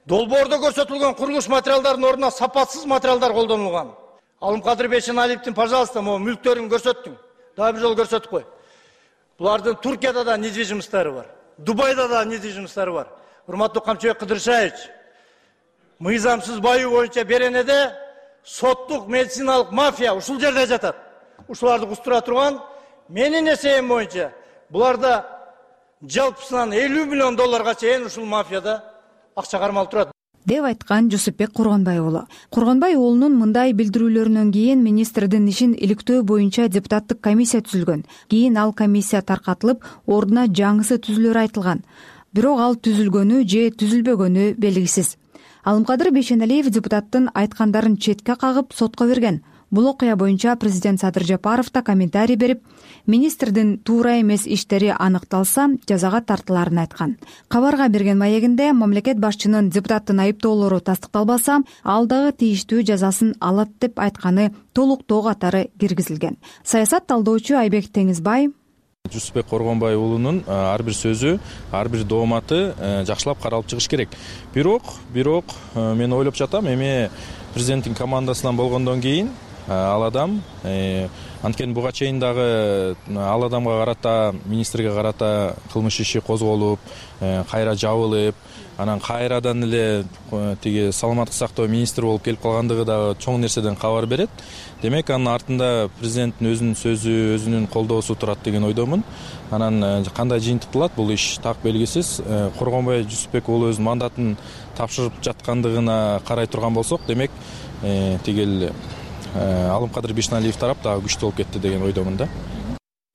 Долбоордо көрсөтүлгөн курулуш материалдарынын ордуна сапатсыз материалдар колдонулган. Алымкадыр Бейшеналиевдин, пожалуйста, могу мүлктөрүн көрсөттүң. Дагы бир жолу көрсөтүп кой. Булардын Туркияда да недвижимосттары бар. Дубайда да недвижимосттары бар. Урматтуу Камчыбек Кыдыршаевич, мыйзамсыз баюу боюнча Беренеде соттук медициналык мафия ушул жерде жатат. Ушуларды кустура турган менин эсебим боюнча буларда жалпысынан элүү миллион долларга чейин ушул мафияда акча кармалып турат деп айткан Жусупбек Кургунбай уулу. Кургунбай уулунун мындай билдирүүлөрүнөн кийин министрдин ишин иликтөө боюнча депутаттык комиссия түзүлгөн. Кийин ал комиссия таркатылып, ордуна жаңысы түзүлөрү айтылган. Бирок ал түзүлгөнү же түзүлбөгөнү белгисиз. Алымкадыр Бейшеналиев депутаттын айткандарын четке кагып сотко берген. Бул окуя боюнча президент Садыр Жапаров да комментарий берип, министрдин туура эмес иштери аныкталса, жазага тартыларын айткан. Кабарга берген маегинде мамлекет башчынын депутаттын айыптоолору тастыкталбаса, ал дагы тийиштүү жазасын алат деп айтканы толуктоо катары киргизилген. Саясат талдоочу Айбек Теңизбай Жусупбек Кургунбай уулунун ар бир сөзү, ар бир дооматы жакшылап каралып чыгыш керек. Бирок, бирок мен ойлоп жатам, эми президенттин командасынан болгондон кийин ал адам анткени буга чейин дагы ал адамга карата, министрге карата кылмыш иши козголуп, кайра жабылып, анан кайрадан эле тиги саламаттык сактоо министри болуп келип калгандыгы дагы чоң нерседен кабар берет. Демек анын артында президенттин өзүнүн сөзү, өзүнүн колдоосу турат деген ойдомун. Анан кандай жыйынтыкталат бул иш так белгисиз. Кургунбай Жусупбек уулу өзүнүн мандатын тапшырып жаткандыгына карай турган болсок, демек тигил Алымкадыр Бейшеналиев тарап дагы күчтүү болуп кетти деген ойдомун да.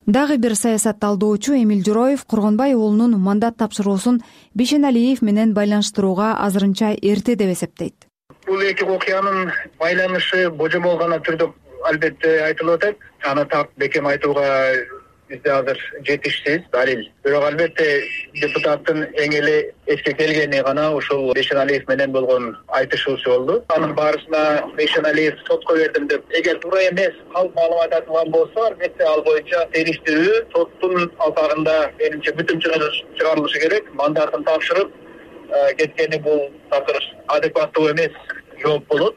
Дагы бир саясат талдоочу Эмил Жороев Кургунбай уулунун мандат тапшыруусун Бейшеналиев менен байланыштырууга азырынча эрте деп эсептейт. Бул эки окуянын байланышы божомол гана түрдө албетте айтылып атат. Аны так бекем айтууга бизде азыр жетишсиз далил. Бирок албетте депутаттын эң эле эске келгени гана ушул Бейшеналиев менен болгон айтышуусу болду. Анын баарысына Бейшеналиев сотко бердим деп, эгер туура эмес калп маалымат айтылган болсо, албетте ал боюнча териштирүү соттун алкагында менимче бүтүм чыгарылышы керек. Мандатын тапшырып кеткени бул такыр адекваттуу эмес жооп болот.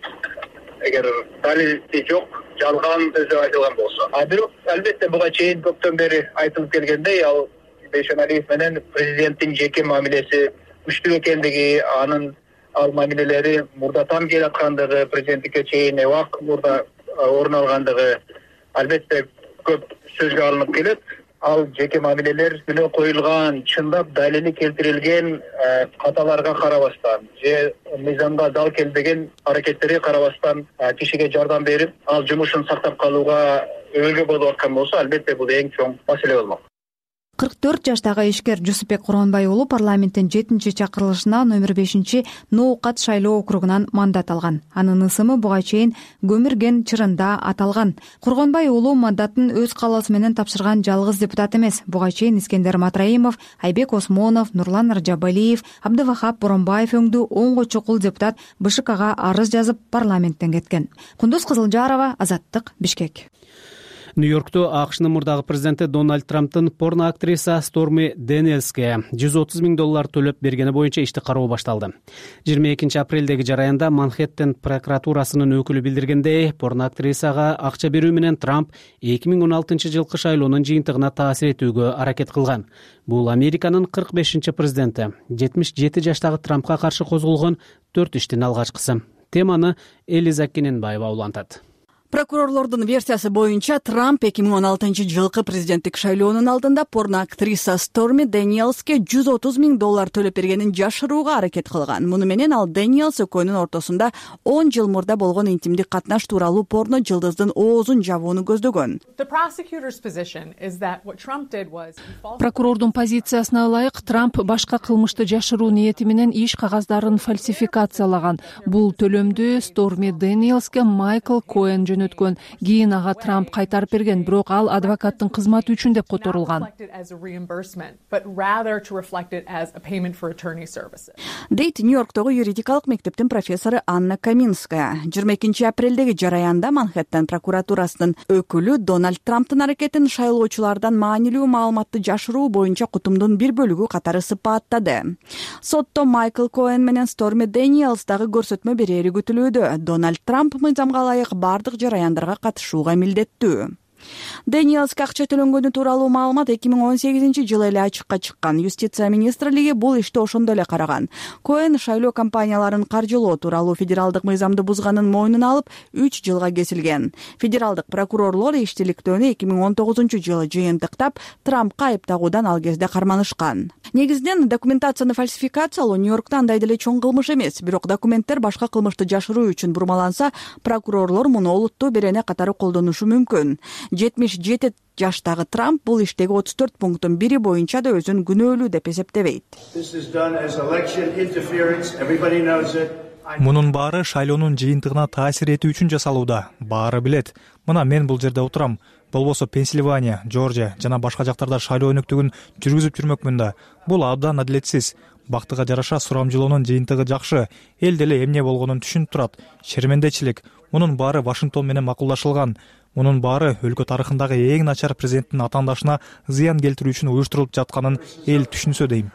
Эгер далили жок, жалган сөз айтылган болсо. А бирок албетте буга чейин көптөн бери айтылып келгендей, ал Бейшеналиев менен президенттин жеке мамилеси күчтүү экендиги, анын ал мамилелери мурдатан келаткандыгы, президенттикке чейин убак мурда орун алгандыгы албетте көп сөзгө алынып келет. Ал жеке мамилелер менен коюлган, чындап далили келтирилген каталарга карабастан же мыйзамга дал келбеген аракеттерге карабастан кишиге жардам берип, ал жумушун сактап калууга өбөлгө болуп аткан болсо, албетте бул эң чоң маселе болмок. кырк төрт жаштагы ишкер Жусупбек Кургонбай уулу парламенттин жетинчи чакырылышына номер бешинчи Ноокат шайлоо округунан мандат алган. Анын ысымы буга чейин Көмүрген чырында аталган. Кургонбай уулу мандатын өз каалоосу менен тапшырган жалгыз депутат эмес. Буга чейин Искендер Матраимов, Айбек Осмонов, Нурлан Ражабалиев, Абдывахап Боронбаев өңдүү онго чукул депутат БШКга арыз жазып парламенттен кеткен. Кундуз Кызылжарова, Азаттык, Бишкек. Нью-Йоркту АКШнын мурдагы президенти Дональд Трамптын порно актриса Сторми Дэниелске жүз отуз миң доллар төлөп бергени боюнча ишти кароо башталды. жыйырма экинчи апрелдеги жараянда Манхэттен прокуратурасынын өкүлү билдиргендей, порно актрисага акча берүү менен Трамп эки миң он алтынчы жылкы шайлоонун жыйынтыгына таасир этүүгө аракет кылган. Бул Американын кырк бешинчи президенти. жетимиш жети жаштагы Трампка каршы козголгон төрт иштин алгачкысы. Теманы Элиза Кененбаева улантат. Прокурорлордун версиясы боюнча Трамп эки миң он алтынчы жылкы президенттик шайлоонун алдында порно актриса Сторми Дэниелске жүз отуз миң доллар төлөп бергенин жашырууга аракет кылган. Муну менен ал Дэниелс экөөнүн ортосунда он жыл мурда болгон интимдик катнаш тууралуу порно жылдыздын оозун жабууну көздөгөн. Прокурордун позициясына ылайык, Трамп башка кылмышты жашыруу ниети менен иш кагаздарын фальсификациялаган. Бул төлөмдү Сторми Дэниелске Майкл Коэн өткөн. Кийин ага Трамп кайтарып берген, бирок ал адвокаттын кызматы үчүн деп которулган. Дейт Нью-Йорктогу юридикалык мектептин профессору Анна Каминская. жыйырма экинчи апрелдеги жараянда Манхэттен прокуратурасынын өкүлү Дональд Трамптын аракетин шайлоочулардан маанилүү маалыматты жашыруу боюнча кутумдун бир бөлүгү катары сыпаттады. Сотто Майкл Коэн менен Сторми Дэниелс дагы көрсөтмө берери күтүлүүдө. Дональд Трамп мыйзамга ылайык бардык жараяндарга катышууга милдеттүү. Дэниелске акча төлөнгөнү тууралуу маалымат эки миң он сегизинчи жылы эле ачыкка чыккан. Юстиция министрлиги бул ишти ошондо эле караган. Коэн шайлоо кампанияларын каржылоо тууралуу федералдык мыйзамды бузганын мойнуна алып, үч жылга кесилген. Федералдык прокурорлор иштиликтөөнү эки миң он тогузунчу жылы жыйынтыктап, Трампка айыптагуудан ал кезде карманышкан. Негизинен документацияны фальсификациялоо Нью-Йоркто андай деле чоң кылмыш эмес, бирок документтер башка кылмышты жашыруу үчүн бурмаланса, прокурорлор муну олуттуу берене катары колдонушу мүмкүн. жетимиш жети жаштагы Трамп бул иштеги отуз төрт пункттун бири боюнча да өзүн күнөөлүү деп эсептебейт. Мунун баары шайлоонун жыйынтыгына таасир этүү үчүн жасалууда. Баары билет. Мына мен бул жерде отурам. Болбосо Пенсильвания, Жоржия жана башка жактарда шайлоо өнөктүгүн жүргүзүп жүрмөкмүн да. Бул абдан адилетсиз. Бактыга жараша сурамжылоонун жыйынтыгы жакшы. Эл деле эмне болгонун түшүнүп турат. Шермендечилик. Мунун баары Вашингтон менен макулдашылган. Мунун баары өлкө тарыхындагы эң начар президенттин атаандашына зыян келтирүү үчүн уюштурулуп жатканын эл түшүнсө дейм.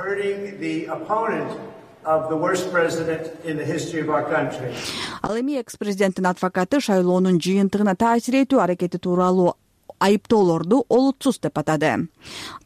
Ал эми экс-президенттин адвокаты шайлоонун жыйынтыгына таасир этүү аракети тууралуу айыптоолорду олутсуз деп атады.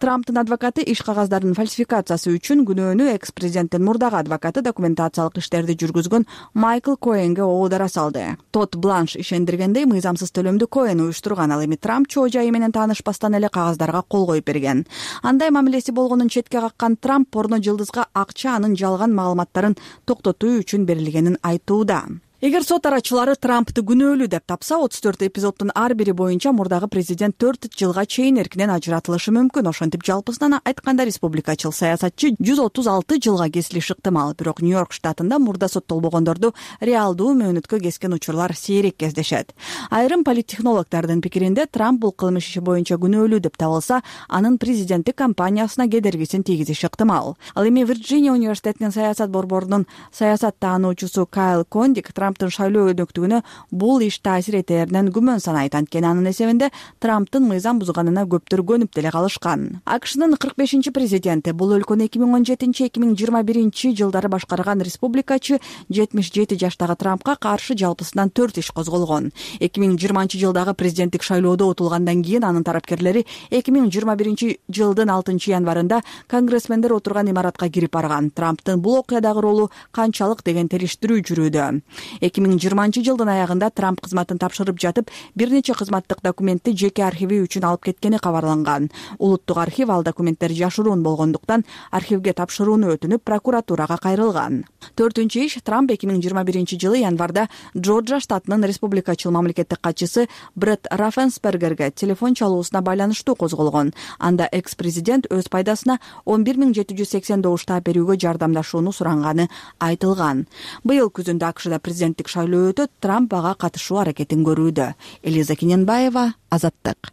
Трамптын адвокаты иш кагаздардын фальсификациясы үчүн күнөөнү экс-президенттин мурдагы адвокаты документациялык иштерди жүргүзгөн Майкл Коэнге оодара салды. Тод Бланш ишендиргендей, мыйзамсыз төлөмдү Коэн уюштурган. Ал эми Трамп чоо жайы менен таанышпастан эле кагаздарга кол коюп берген. Андай мамилеси болгонун четке каккан Трамп порно жылдызга акча анын жалган маалыматтарын токтотуу үчүн берилгенин айтууда. эгер сот арачылары Трампты күнөөлүү деп тапса, отуз төрт эпизоддун ар бири боюнча мурдагы президент төрт жылга чейин эркинен ажыратылышы мүмкүн. Ошентип жалпысынан айтканда республикачыл саясатчы жүз отуз алты жылга кесилиши ыктымал. Бирок Нью-Йорк штатында мурда соттолбогондорду реалдуу мөөнөткө кескен учурлар сейрек кездешет. Айрым политтехнологдордун пикиринде Трамп бул кылмыш иши боюнча күнөөлүү деп табылса, анын президенттик кампаниясына кедергисин тийгизиши ыктымал. Ал эми Вирджиния университетинин саясат борборунун саясат таануучусу Кайл Кондик Трамптын шайлоо өнөктүгүнө бул иш таасир этеринен күмөн санайт. Анткени анын эсебинде Трамптын мыйзам бузганына көптөр көнүп деле калышкан. АКШнын кырк бешинчи президенти, бул өлкөнү эки миң он жетинчи эки миң жыйырма биринчи жылдары башкарган республикачы жетимиш жети жаштагы Трампка каршы жалпысынан төрт иш козголгон. эки миң жыйырманчы жылдагы президенттик шайлоодо утулгандан кийин анын тарапкерлери эки миң жыйырма биринчи жылдын алтынчы январында конгрессмендер отурган имаратка кирип барган. Трамптын бул окуядагы ролу канчалык деген териштирүү жүрүүдө. эки миң жыйырманчы жылдын аягында Трамп кызматын тапшырып жатып, бир нече кызматтык документти жеке архиви үчүн алып кеткени кабарланган. Улуттук архив ал документтер жашыруун болгондуктан архивге тапшырууну өтүнүп, прокуратурага кайрылган. Төртүнчү иш, Трамп эки миң жыйырма биринчи жылы январда Джорджия штатынын республикачыл мамлекеттик катчысы Брет Раффенсбергерге телефон чалуусуна байланыштуу козголгон. Анда экс-президент өз пайдасына он бир миң жети жүз сексен добуштап берүүгө жардамдашууну суранганы айтылган. Быйыл күзүндө АКШда президенттик шайлоо өтөт, Трамп ага катышуу аракетин көрүүдө. Элиза Кененбаева, Азаттык.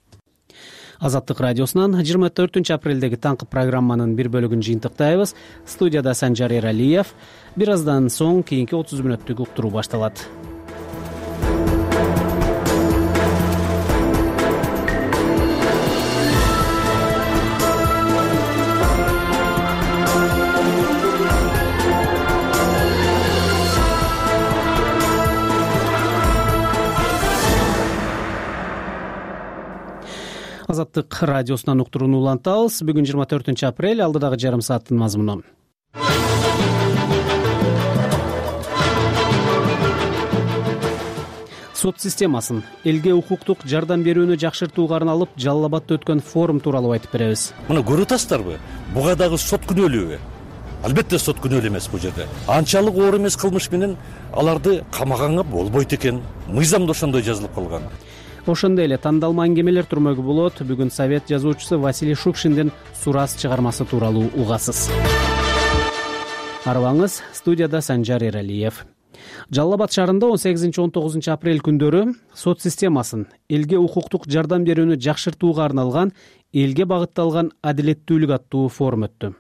Азаттык радиосунан жыйырма төртүнчү апрелдеги таңкы программанын бир бөлүгүн жыйынтыктайбыз. Студияда Санжар Эралиев. Бир аздан соң кийинки отуз мүнөттүк уктуруу башталат. Азаттык радиосунан уктурууну улантабыз. Бүгүн жыйырма төртүнчү апрель, алдыдагы жарым сааттын мазмуну. Сот системасын, элге укуктук жардам берүүнү жакшыртууга арналып Жалал Абадта өткөн форум тууралуу айтып беребиз. Мына көрүп атасыздарбы? Буга дагы сот күнөөлүүбү? Албетте сот күнөөлүү эмес бул жерде. Анчалык оор эмес кылмыш менен аларды камаганга болбойт экен. Мыйзамда ошондой жазылып калган. Ошондой эле тандалма аңгемелер турмөгү болот. Бүгүн Совет жазуучусу Василий Шукшиндин Сурас чыгармасы тууралуу угасыз. Арыбаңыз, студияда Санжар Эралиев. Жалал Абад шаарында он сегизинчи он тогузунчу апрель күндөрү сот системасын, элге укуктук жардам берүүнү жакшыртууга арналган элге багытталган адилеттүүлүк аттуу форум өттү.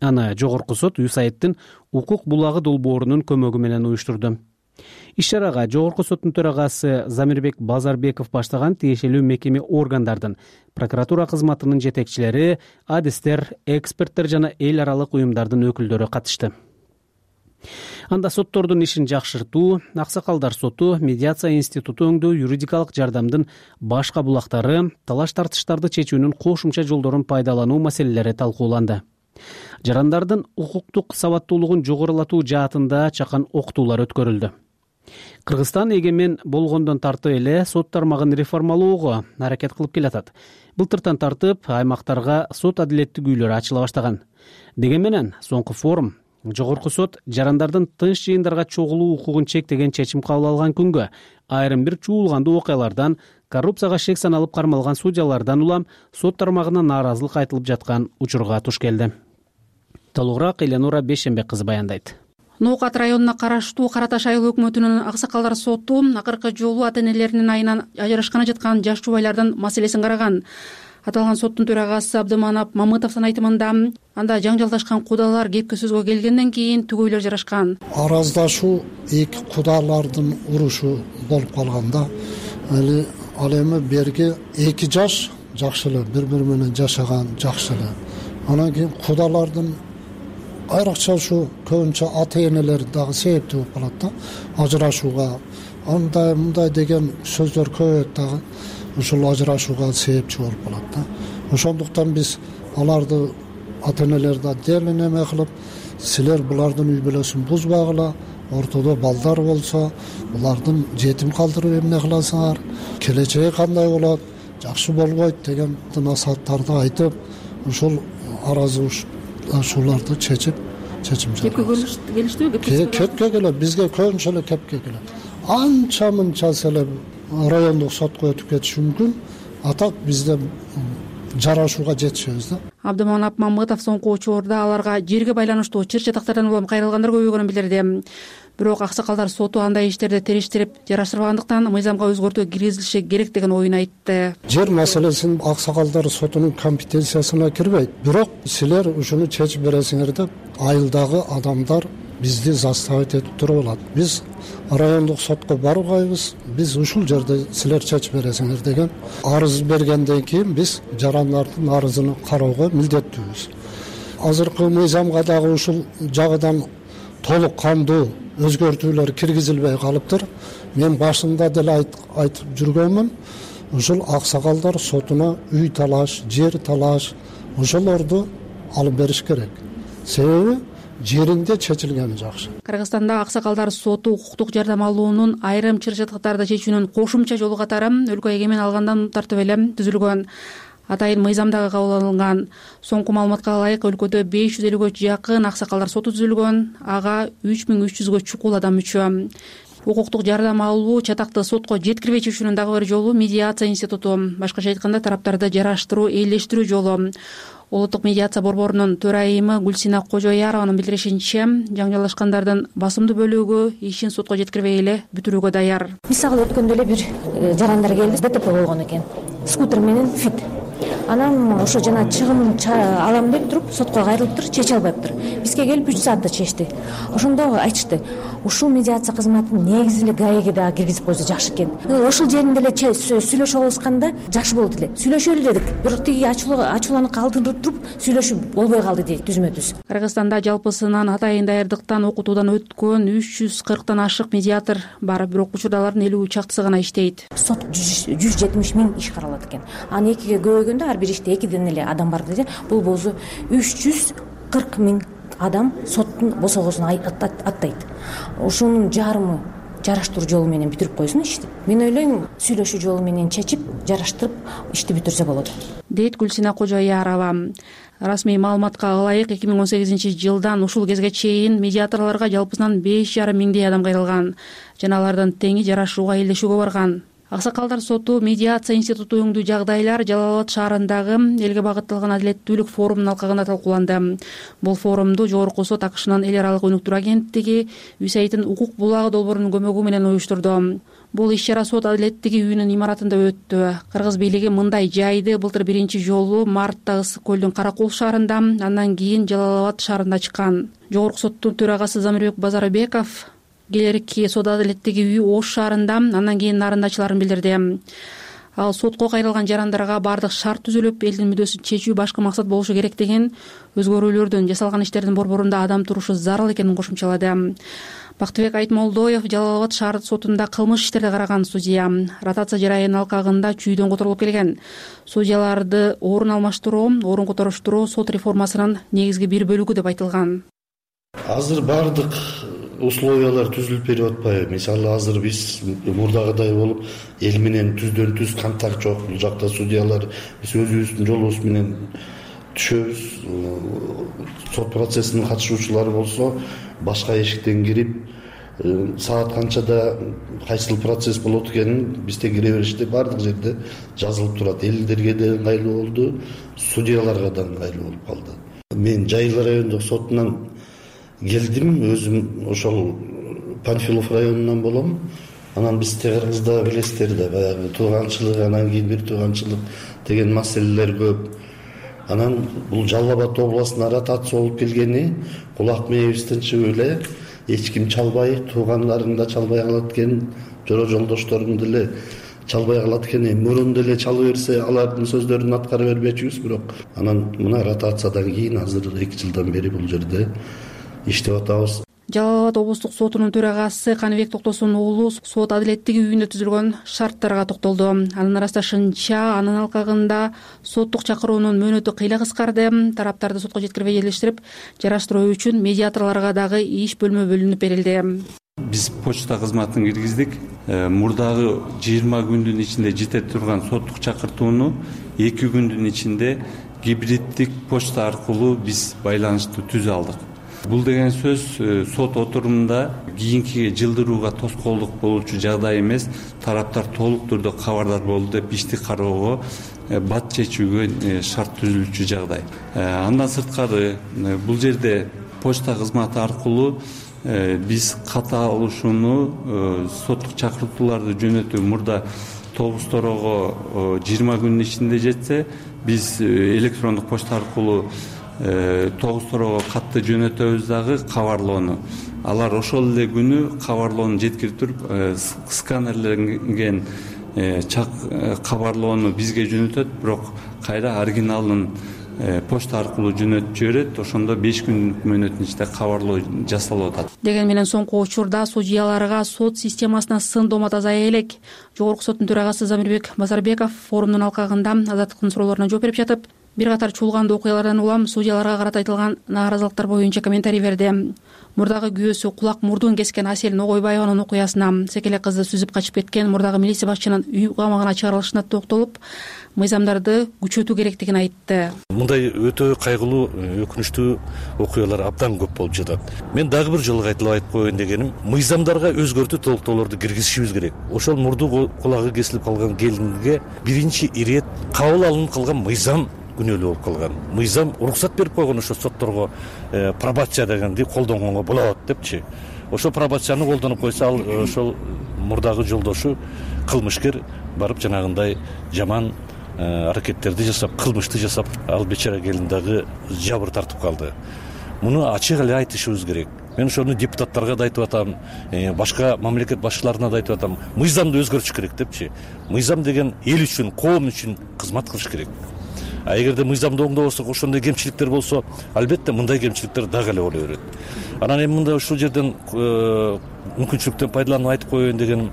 Аны Жогорку сот ЮСАИДтин укук булагы долбоорунун көмөгү менен уюштурду. Иш-чарага Жогорку соттун төрагасы Замирбек Базарбеков баштаган тиешелүү мекеме органдардын, прокуратура кызматынын жетекчилери, адистер, эксперттер жана эл аралык уюмдардын өкүлдөрү катышты. Анда соттордун ишин жакшыртуу, аксакалдар соту, медиация институту өңдүү, юридикалык жардамдын башка булактары, талаш-тартыштарды чечүүнүн кошумча жолдорун пайдалануу маселелери талкууланды. Жарандардын укуктук сабаттуулугун жогорулатуу жаатында чакан окутуулар өткөрүлдү. Кыргызстан эгемен болгондон тартып эле сот тармагын реформалоого аракет кылып келатат. Былтыртан тартып аймактарга сот адилеттик үйлөрү ачыла баштаган. Деген менен соңку форум Жогорку сот жарандардын тынч жыйындарга чогулуу укугун чектеген чечим кабыл алган күнгө айрым бир чуулгандуу окуялардан, коррупцияга шек саналып кармалган судьялардан улам сот тармагына нааразылык айтылып жаткан учурга туш келди. Толугураак Эленора Бешембек кызы баяндайт. Ноокат районуна караштуу Кара Таш айыл өкмөтүнүн аксакалдар соту акыркы жолу ата-энелеринин айынан ажырашканы жаткан жаш жубайлардын маселесин караган. Аталган соттун төрагасы Абдыманап Мамытовдун айтымында анда жаңжалдашкан кудалар кепке сөзгө келгенден кийин түгөйлөр жарашкан. Араздашуу эки кудалардын урушу болуп калганда, ал эми берги эки жаш жакшы эле бири-бири менен жашаган жакшы эле. Анан кийин кудалардын айрыкча ушу көбүнчө ата-энелер дагы себептүү болуп калат да, ажырашууга. Андай мындай деген сөздөр көп дагы ушул ажырашууга себепчи болуп калат да. Ошондуктан биз аларды ата-энелерди отдельно неме кылып, силер булардын үй бүлөсүн бузбагыла, ортодо балдар болсо, булардын жетим калтырып эмне кыласыңар, келечеги кандай болот, жакшы болбойт деген насааттарды айтып, ушул аразычылыктарды чечип, чечим кепке келиштиби? кепке келет, бизге көбүнчө эле кепке келет. Анча мынчасы эле райондук сотко өтүп кетиши мүмкүн, а так бизде жарашууга жетишебиз да. Абдыманап Мамытов соңку учурда аларга жерге байланыштуу чыр чатактардан улам кайрылгандар көбөйгөнүн билдирди. Бирок аксакалдар соту андай иштерди териштирип жараштырбагандыктан мыйзамга өзгөртүү киргизилиши керек деген оюн айтты. Жер маселесин аксакалдар сотунун компетенциясына кирбейт. Бирок силер ушуну чечип бересиңер деп айылдагы адамдар бизди заставить этип туруп алат. Биз райондук сотко барбайбыз, биз ушул жерде силер чечип бересиңер деген арыз бергенден кийин биз жарандардын арызын кароого милдеттүүбүз. Азыркы мыйзамга дагы ушул жагынан толук кандуу өзгөртүүлөр киргизилбей калыптыр. Мен башында деле айтып жүргөнмүн, ушул аксакалдар сотуна үй талаш, жер талаш ошолорду алып бериш керек. Себеби жеринде чечилгени жакшы. Кыргызстанда аксакалдар соту укуктук жардам алуунун айрым чыр чатактарды чечүүнүн кошумча жолу катары өлкө эгемен алгандан тартып эле түзүлгөн. Атайын мыйзамдагы кабыл алынган. Соңку маалыматка ылайык өлкөдө беш жүз элүүгө жакын аксакалдар соту түзүлгөн, ага үч миң үч жүзгө чукул адам мүчө. Укуктук жардам алуу чатакты сотко жеткирбей чечүүнүн дагы бир жолу медиация институту. Башкача айтканда тараптарды жараштыруу, ээлештирүү жолу. Улуттук медиация борборунун төрайымы Гүлсина Кожоярованын билдиришинче, жаңжалдашкандардын басымдуу бөлүгү ишин сотко жеткирбей эле бүтүрүүгө даяр. Мисалы өткөндө эле бир жарандар келди, ДТП болгон экен. Скутер менен фит. Анан ошо жана чыгымын алам деп туруп сотко кайрылыптыр, чече албайптыр. Бизге келип үч саатта чечти. Ошондо айтышты, ушул медиация кызматын негизи эле ГАЭге дагы киргизип койсо жакшы экен. Ошол жеринде эле сүйлөшүп алышканда жакшы болот эле. Сүйлөшөлү дедик. Бирок тиги ачууланып калтырып туруп сүйлөшүп болбой калды дейт түзмө-түз. Кыргызстанда жалпысынан атайын даярдыктан, окутуудан өткөн үч жүз кырктан ашык медиатор бар, бирок учурда алардын элүү чактысы гана иштейт. Сот жүз жетимиш миң иш каралат экен. Аны экиге көбөйгөндө ар бир иште экиден эле адам бар деди. Бул болсо үч жүз кырк миң адам соттун босогосун аттайт. Ошонун жарымы жараштыруу жолу менен бүтүрүп койсун ишти. Мен ойлойм, сүйлөшүү жолу менен чечип, жараштырып ишти бүтүрсө болот, дейт Гүлсина Кожоярова. Расмий маалыматка ылайык эки миң он сегизинчи жылдан ушул кезге чейин медиаторлорго жалпысынан беш жарым миңдей адам кайрылган жана алардын теңи жарашууга элдешүүгө барган. Аксакалдар соту медиация институту өңдүү жагдайлар Жалал Абад шаарындагы элге багытталган адилеттүүлүк форумунун алкагында талкууланды. Бул форумду Жогорку сот АКШнын эл аралык өнүктүрүү агенттиги ЮСАИДтин укук булагы долбоорунун көмөгү менен уюштурду. Бул иш-чара сот адилеттиги үйүнүн имаратында өттү. Кыргыз бийлиги мындай жайды былтыр биринчи жолу мартта Ысык көлдүн Каракол шаарында, андан кийин Жалал Абад шаарында ачкан. Жогорку соттун төрагасы Замирбек Базарбеков келерки сот адилеттиги үйү Ош шаарында, андан кийин Нарында ачыларын билдирди. Ал сотко кайрылган жарандарга бардык шарт түзүлүп, элдин мүддөсүн чечүү башкы максат болушу керек деген, өзгөрүүлөрдүн жасалган иштердин борборунда адам турушу зарыл экенин кошумчалады. Бактыбек Айтмолдоев Жалал Абад шаар сотунда кылмыш иштерди караган судья. Ротация жарайынын алкагында чүйдөн которулуп келген. Судьяларды орун алмаштыруу, орун которуштуруу сот реформасынын негизги бир бөлүгү деп айтылган. Азыр бардык условиялар түзүлүп берип атпайбы? Мисалы азыр биз мурдагыдай болуп эл менен түздөн түз контакт жок. Бул жакта судьялар биз өзүбүздүн жолубуз менен түшөбүз. Сот процессинин катышуучулары болсо башка эшиктен кирип, саат канчада кайсыл процесс болот экенин бизде кире бериште бардык жерде жазылып турат. Элдерге да ыңгайлуу болду, судьяларга да ыңгайлуу болуп калды. Мен Жайыл райондук сотунан келдим, өзүм ошол Панфилов районунан болом. Анан биз Кыргызда билесиздер да, баягы тууганчылык, анан кийин бир тууганчылык деген маселелер көп. Анан бул Жалал Абад областына ротация болуп келгени кулак мээбизден чыгып эле эч ким чалбай, туугандарың да чалбай калат экен, жора жолдошторуң деле чалбай калат экен. Мурун деле чала берсе алардын сөздөрүн аткара бербечүбүз, бирок анан мына ротациядан кийин азыр эки жылдан бери бул жерде иштеп атабыз. Жалал Абад облустук сотунун төрагасы Каныбек Токтосун уулу сот адилеттиги үйүндө түзүлгөн шарттарга токтолду. Анын ырасташынча, анын алкагында соттук чакыруунун мөөнөтү кыйла кыскарды. Тараптарды сотко жеткирбей элештирип, жараштыруу үчүн медиаторлорго дагы иш бөлмө бөлүнүп берилди. Биз почта кызматын киргиздик. Мурдагы жыйырма күндүн ичинде жете турган соттук чакыртууну эки күндүн ичинде гибриддик почта аркылуу биз байланышты түзө алдык. бул деген сөз сот отурумунда кийинки жылдырууга тоскоолдук болуучу жагдай эмес, тараптар толук түрдө кабардар болду деп ишти кароого бат чечүүгө шарт түзүлчү жагдай. Андан сырткары бул жерде почта кызматы аркылуу биз катталышууну, соттук чакыртууларды жөнөтүү мурда тогуз-торого жыйырма күндүн ичинде жетсе, биз электрондук почта аркылуу тогуз-торого катты жөнөтөбүз дагы кабарлоону. Алар ошол эле күнү кабарлоону жеткирип туруп, сканерленген чак кабарлоону бизге жөнөтөт, бирок кайра оригиналын почта аркылуу жөнөтүп жиберет. Ошондо беш күндүк мөөнөттүн ичинде кабарлоо жасалып атат. Деген менен соңку учурда судьяларга сот системасына сын доомат азая элек. Жогорку соттун төрагасы Замирбек Базарбеков форумдун алкагында азаттыктын суроолоруна жооп берип жатып, бир катар чуулгандуу окуялардан улам судьяларга карата айтылган нааразылыктар боюнча комментарий берди. Мурдагы күйөөсү кулак мурдун кескен Асель Ногойбаеванын окуясына, секелек кызды сүзүп качып кеткен мурдагы милиция башчынын үй камагына чыгарылышына токтолуп, мыйзамдарды күчөтүү керектигин айтты. Мындай өтө кайгылуу, өкүнүчтүү окуялар абдан көп болуп жатат. Мен дагы бир жолу кайталап айтып коеюн дегеним, мыйзамдарга өзгөртүү толуктоолорду киргизишибиз керек. Ошол мурду кулагы кесилип калган келинге биринчи ирет кабыл алынып калган мыйзам күнөөлүү болуп калган. Мыйзам уруксат берип койгон ошо сотторго пробация дегенди колдонгонго болот депчи. Ошо пробацияны колдонуп койсо, ал ошол мурдагы жолдошу кылмышкер барып жанагындай жаман аракеттерди жасап, кылмышты жасап, ал бечара келин дагы жабыр тартып калды. Муну ачык эле айтышыбыз керек. Мен ошону депутаттарга да айтып атам, башка мамлекет башчыларына да айтып атам. Мыйзамды өзгөртүш керек депчи. Мыйзам деген эл үчүн, коом үчүн кызмат кылыш керек. А эгерде мыйзамды оңдобосок, ошондой кемчиликтер болсо, албетте мындай кемчиликтер дагы эле боло берет. Анан эми мындай ушул жерден мүмкүнчүлүктөн пайдаланып айтып коеюн дегеним,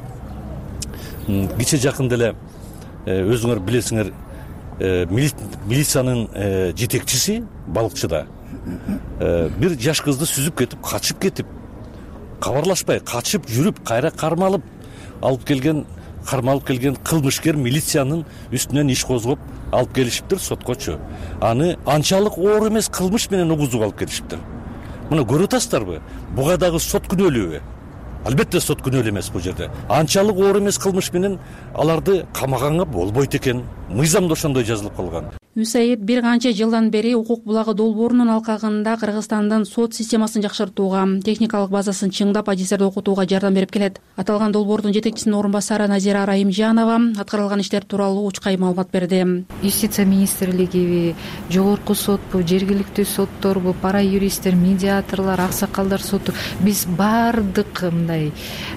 кече жакында эле өзүңөр билесиңер, милициянын жетекчиси балыкчыда бир жаш кызды сүзүп кетип, качып кетип, кабарлашпай качып жүрүп, кайра кармалып алып келген, кармалып келген кылмышкер милициянын үстүнөн иш козгоп алып келишиптир соткочу. Аны анчалык оор эмес кылмыш менен угузуп алып келишиптир. Муну көрүп атасыздарбы? Буга дагы сот күнөөлүүбү? Албетте сот күнөөлүү эмес бул жерде. Анчалык оор эмес кылмыш менен аларды камаганга болбойт экен. Мыйзамда ошондой жазылып калган. Юсаид бир канча жылдан бери укук булагы долбоорунун алкагында Кыргызстандын сот системасын жакшыртууга, техникалык базасын чыңдап, адистерди окутууга жардам берип келет. Аталган долбоордун жетекчисинин орун басары Назира Райымжанова аткарылган иштер тууралуу учкай маалымат берди. Юстиция министрлигиби, жогорку сотпу, жергиликтүү сотторбу, пара юристтер, медиаторлор, аксакалдар соту, биз баардык мындай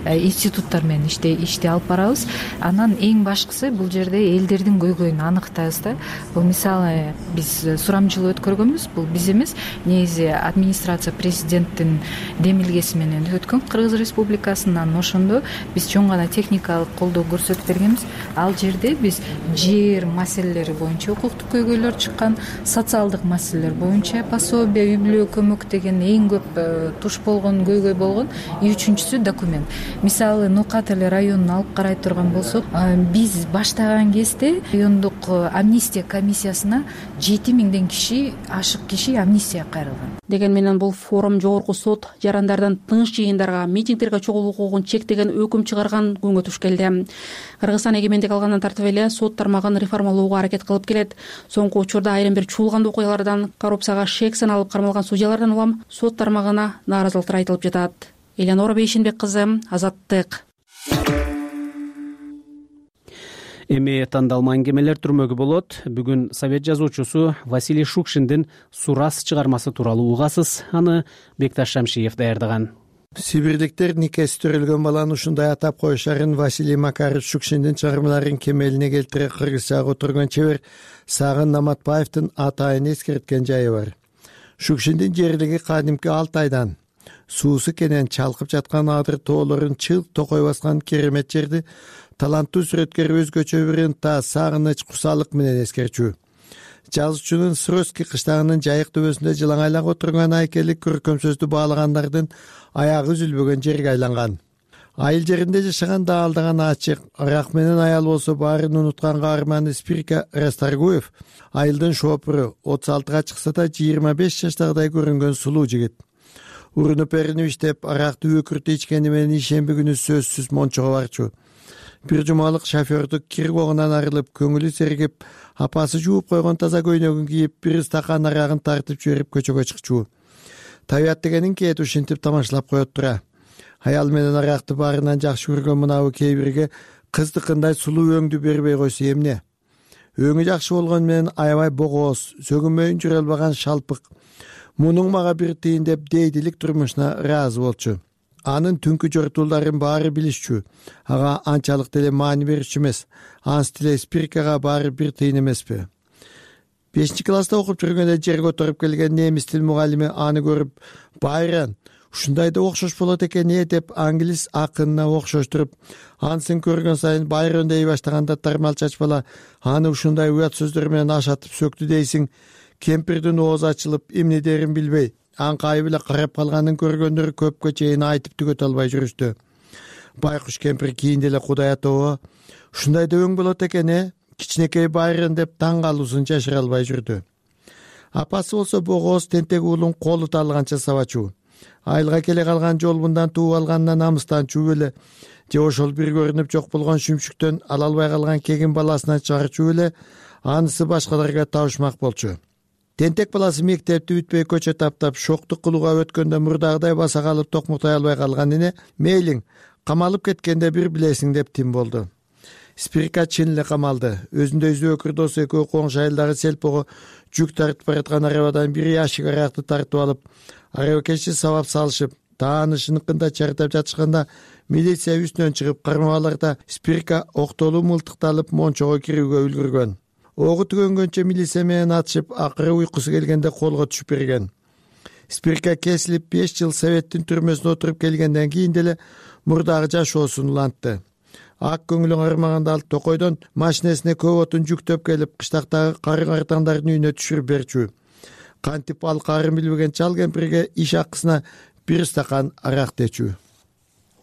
институттар менен ишти алып барабыз. Анан эң башкысы бул жерде элдердин көйгөйүн аныктайбыз да. Бул мисалы биз сурамжылоо өткөргөнбүз, бул биз эмес, негизи администрация президенттин демилгеси менен өткөн Кыргыз Республикасынан. Ошондо биз чоң гана техникалык колдоо көрсөтүп бергенбиз. Ал жерде биз жер маселелери боюнча укуктук көйгөйлөр чыккан, социалдык маселелер боюнча пособие, үй бүлө көмөк деген эң көп туш болгон, көйгөй болгон. И үчүнчүсү документ. Мисалы Нокат эле районун алып карай турган болсок, биз баштаган кезде райондук амнистия комиссиясына жети миңден киши, ашык киши амнистия кайрылган. Деген менен бул форум жогорку сот жарандардан тыныч жыйындарга, митингдерге чогулуу укугун чектеген өкүм чыгарган күнгө туш келди. Кыргызстан эгемендик алгандан тартып эле сот тармагын реформалоого аракет кылып келет. Соңку учурда айрым бир чуулгандуу окуялардан, коррупцияга шек саналып кармалган судьялардан улам сот тармагына нааразылыктар айтылып жатат. Элеонора Бейшенбек кызы, Азаттык. Эми тандалма аңгемелер түрмөгү болот. Бүгүн совет жазуучусу Василий Шукшиндин Сурас чыгармасы тууралуу угасыз. Аны Бекташ Шамшиев даярдаган. Сибирликтер никеси төрөлгөн баланы ушундай атап коюшарын Василий Макарович Шукшиндин чыгармаларын кемелине келтире кыргызчага отурган чебер Сагын Наматбаевдин атайын эскерткен жайы бар. Шукшиндин жерлиги кадимки Алтайдан. Суусу кенен чалкып жаткан адыр тоолорун чыл токой баскан керемет жерди таланттуу сүрөткөр өзгөчө бир ынта, сагыныч, кусалык менен эскерчү. Жазуучунун Сроски кыштагынын жайык төбөсүндө жылаңайлап отурган айкели көркөм сөздү баалагандардын аягы үзүлбөгөн жерге айланган. Айыл жеринде жашаган даалдаган ачык, арак менен аял болсо баарын унуткан каарман Спирка Расторгуев, айылдын шопуру, отуз алтыга чыкса да жыйырма беш жаштагыдай көрүнгөн сулуу жигит. урунуп эринип иштеп аракты өкүртү ичкени менен ишемби күнү сөзсүз мончого барчу. Бир жумалык шофердук кир когунан арылып, көңүлү сергип, апасы жууп койгон таза көйнөгүн кийип, бир стакан арагын тартып жиберип көчөгө чыкчу. Табият дегенин кээде ушинтип тамашалап коет тура. Аял менен аракты баарынан жакшы көргөн мынабы кээ бирге кыздыкындай сулуу өңдү бербей койсо эмне? Өңү жакшы болгону менен аябай богооз, сөгүнмөйүн жүрө албаган шалпык. Мунуң мага бир тыйын деп дейдилик турмушуна ыраазы болчу. Анын түнкү жортуулдарын баары билишчү. Ага анчалык деле маани берүүчү эмес. Анс деле Спиркага баары бир тыйын эмеспи? бешинчи класста окуп жүргөндө жерге отуруп келген немис тил мугалими аны көрүп, «Байран, ушундай да окшош болот экен э» деп англис акынына окшоштуруп, ансын көргөн сайын Байрон дей баштаганда тармал чач бала аны ушундай уят сөздөр менен ашатып сөктү дейсиң. Кемпирдин оозу ачылып, эмне дерин билбей, аңкайып эле карап калганын көргөндөр көпкө чейин айтып түгөтө албай жүрүштү. Байкуш кемпир кийинде эле Кудай атоо, ушундай да өң болот экен э, кичинекей Байрон деп таң калуусун жашыра албай жүрдү. Апасы болсо богооз тентек уулун колу таалганча сабачу. Айылга келе калган жолбундан тууп алганына намыстанчу эле, же ошол бир көрүнүп жок болгон шүмшүктөн ала албай калган кегин баласынан чыгарчу эле, анысы башкаларга табышмак болчу. Тентек баласы мектепти бүтпөй көчө таптап, шоктук кылууга өткөндө мурдагыдай баса калып токмуктай албай калган эне, мейлиң, камалып кеткенде бир билесиң деп тим болду. Спирка чын эле камалды. Өзүндөй зөөкүр досу экөө коңшу айылдагы селпого жүк тартып бараткан арабадан бир ящик аракты тартып алып, арабакешти сабап салышып, таанышыныкында чартап жатышканда милиция үстүнөн чыгып кармап аларда Спирка октолуу мылтыкталып мончого кирүүгө үлгүргөн. Огу түгөнгөнчө милиция менен атышып, акыры уйкусу келгенде колго түшүп берген. Спирка кесилип беш жыл Советтин түрмөсүнө отуруп келгенден кийин деле мурдагы жашоосун улантты. Ак көңүлүн армаганда алып токойдон машинесине көп отун жүктөп келип, кыштактагы карын картаңдардын үйүнө түшүрүп берчү. Кантип ал карын билбеген чал кемпирге иш акысына бир стакан арак дечү.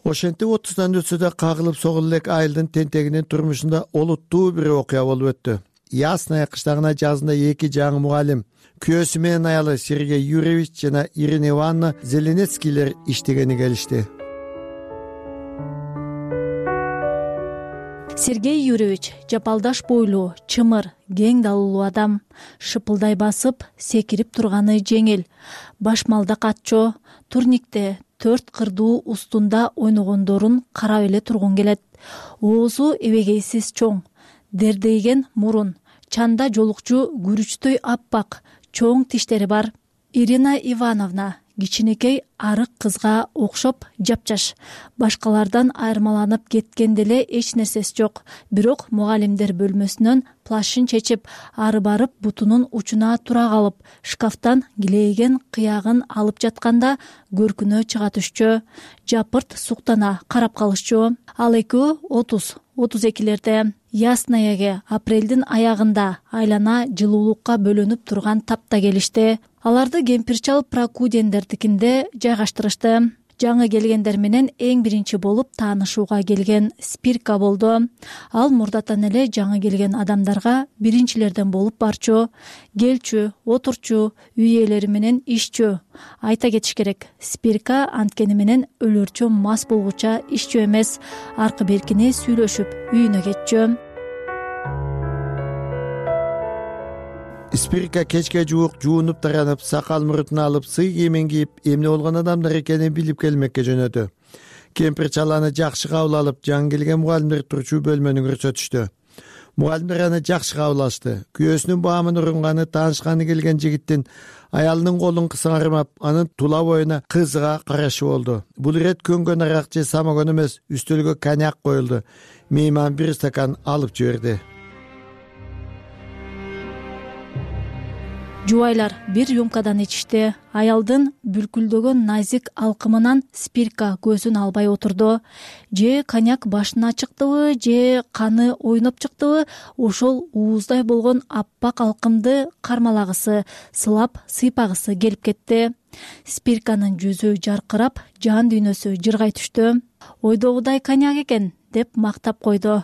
Ошентип отуздан өтсө да кагылып согулуп элек айылдын тентегинин турмушунда олуттуу бир окуя болуп өттү. Ясная кыштагына жазында эки жаңы мугалим, күйөөсү менен аялы Сергей Юрьевич жана Ирина Ивановна Зеленецкийлер иштегени келишти. Сергей Юрьевич жапалдаш бойлуу, чымыр, кең далылуу адам. Шыпылдай басып, секирип турганы жеңил. Башмалда катчо, турникте төрт кырдуу устунда ойногондорун карап эле тургун келет. Оозу эбегейсиз чоң, дердейген мурун, чанда жолукчу күрүчтөй аппак, чоң тиштери бар. Ирина Ивановна кичинекей арык кызга окшоп жапжаш, башкалардан айырмаланып кеткен деле эч нерсеси жок. Бирок мугалимдер бөлмөсүнөн плашын чечип, ары барып бутунун учуна тура калып, шкафтан килейген кыягын алып жатканда көркүнө чыга түшчү. Жапырт суктана карап калышчу. Ал экөө отуз отуз экилерде. Яснаяге апрелдин аягында айлана жылуулукка бөлөнүп турган тапта келишти. Аларды кемпир-чал Прокудендердикинде жайгаштырышты. Жаңы келгендер менен эң биринчи болуп таанышууга келген Спирка болду. Ал мурдатан эле жаңы келген адамдарга биринчилерден болуп барчу, келчү, отурчу, үй ээлери менен ишчү. Айта кетиш керек, Спирка анткени менен өлөрчө мас болгуча ишчү эмес, аркы беркини сүйлөшүп үйүнө кетчү. Спирка кечке жуук жуунуп таранып, сакал мурутун алып, сый кийимин кийип, эмне болгон адамдар экенин билип келмекке жөнөдү. Кемпир чаланы жакшы кабыл алып, жаңы келген мугалимдер турчу бөлмөнү көрсөтүштү. Мугалимдер аны жакшы кабыл алышты. Күйөөсүнүн баамын урунганы, таанышканы келген жигиттин аялынын колун кысармап, анын тула боюна кызыга карашы болду. Бул ирет көнгөн арак же самогон эмес, үстөлгө коньяк коюлду. Мейман бир стакан алып жиберди. Жубайлар бир рюмкадан ичишти. Аялдын бүлкүлдөгөн назик алкымынан Спирка көзүн албай отурду. Же коньяк башына чыктыбы, же каны ойноп чыктыбы, ошол ууздай болгон аппак алкымды кармалагысы, сылап сыйпагысы келип кетти. Спирканын жүзү жаркырап, жан дүйнөсү жыргай түштү. Ойдогудай коньяк экен деп мактап койду.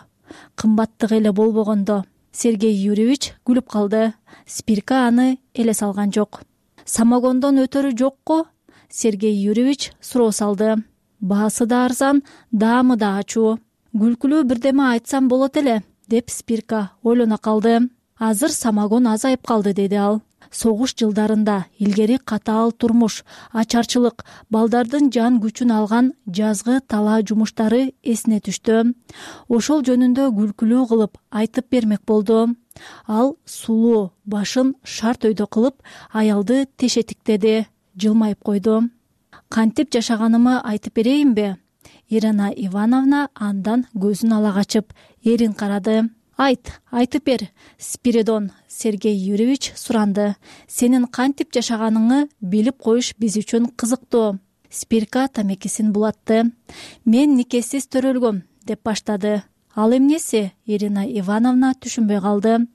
Кымбаттык эле болбогондо. Сергей Юрьевич күлүп калды. Спирка аны эле салган жок. Самогондон өтөрү жокко Сергей Юрьевич суроо салды. Баасы да арзан, даамы да ачуу. Күлкүлүү бирдеме айтсам болот эле, деп Спирка ойлоно калды. Азыр самогон азайып калды, деди ал. Согуш жылдарында илгери катаал турмуш, ачарчылык, балдардын жан күчүн алган жазгы талаа жумуштары эсине түштү. Ошол жөнүндө күлкүлүү кылып айтып бермек болду. Ал сулуу башын шарт өйдө кылып аялды тешетиктеди, жылмайып койду. Кантип жашаганымы айтып берейинби? Ирина Ивановна андан көзүн ала качып, эрин карады. Айт, айтып бер, Спиридон, Сергей Юрьевич суранды. Сенин кантип жашаганыңы билип коюш биз үчүн кызыктуу. Спирка тамекисин булатты. Мен никесиз төрөлгөм, деп баштады. Ал эмнеси? Ирина Ивановна түшүнбөй калды.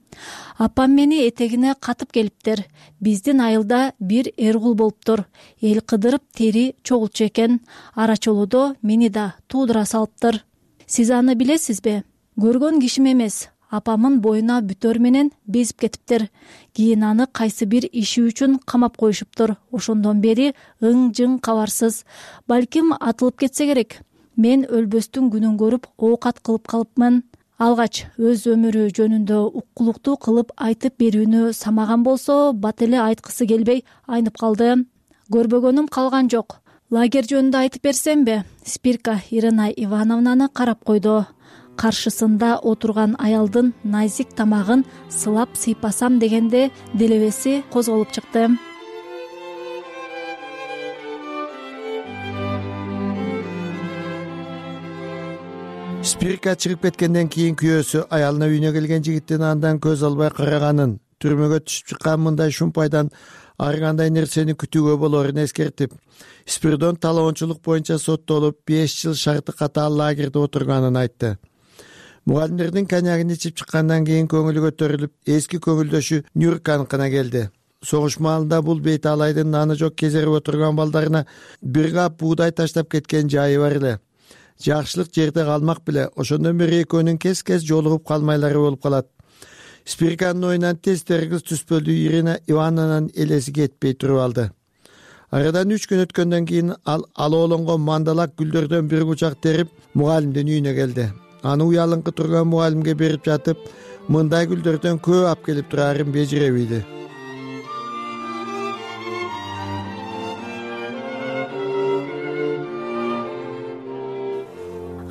Апам мени этегине катып келиптир. Биздин айылда бир эргул болуптур. Эл кыдырып тери чогулчу экен. Арачолодо мени да туудура салыптыр. Сиз аны билесизби? Көргөн кишим эмес. Апамын боюна бүтөр менен безип кетиптир. Кийин аны кайсы бир иши үчүн камап коюшуптур. Ошондон бери ың-жың кабарсыз. Балким атылып кетсе керек. Мен өлбөстүн күнүн көрүп оокат кылып калыпмын. Алгач өз өмүрү жөнүндө уккулуктуу кылып айтып берүүнү самаган болсо, бат эле айткысы келбей айнып калды. Көрбөгөнүм калган жок. Лагерь жөнүндө айтып берсемби? Спирка Ирина Ивановнаны карап койду. Каршысында отурган аялдын назик тамагын сылап сыйпасам дегенде делебеси козголуп чыкты. Спирка чыгып кеткенден кийин күйөөсү аялына үйүнө келген жигиттин андан көз албай караганын, түрмөгө түшүп чыккан мындай шумпайдан ар кандай нерсени күтүүгө болорун эскертип, Спиридон талоончулук боюнча соттолуп беш жыл шарты катаал лагерде отурганын айтты. Мугалимдердин коньягын ичип чыккандан кийин көңүлү көтөрүлүп, эски көңүлдөшү Нюрканыкына келди. Согуш маалында бул бейт алайдын наны жок кезерип отурган балдарына бир кап буудай таштап кеткен жайы бар эле. Жакшылык жерде калмак беле, ошондон бери экөөнүн кес-кес жолугуп калмайлары болуп калат. Спирканын оюнан тез тергиз түспөлдү Ирина Ивановнанын элеси кетпей туруп алды. Арадан үч күн өткөндөн кийин ал алоолонгон мандалак гүлдөрдөн бир кучак терип, мугалимдин үйүнө келди. Аны уялыңкы турган мугалимге берип жатып, мындай гүлдөрдөн көп алып келип турарын бежиребейди.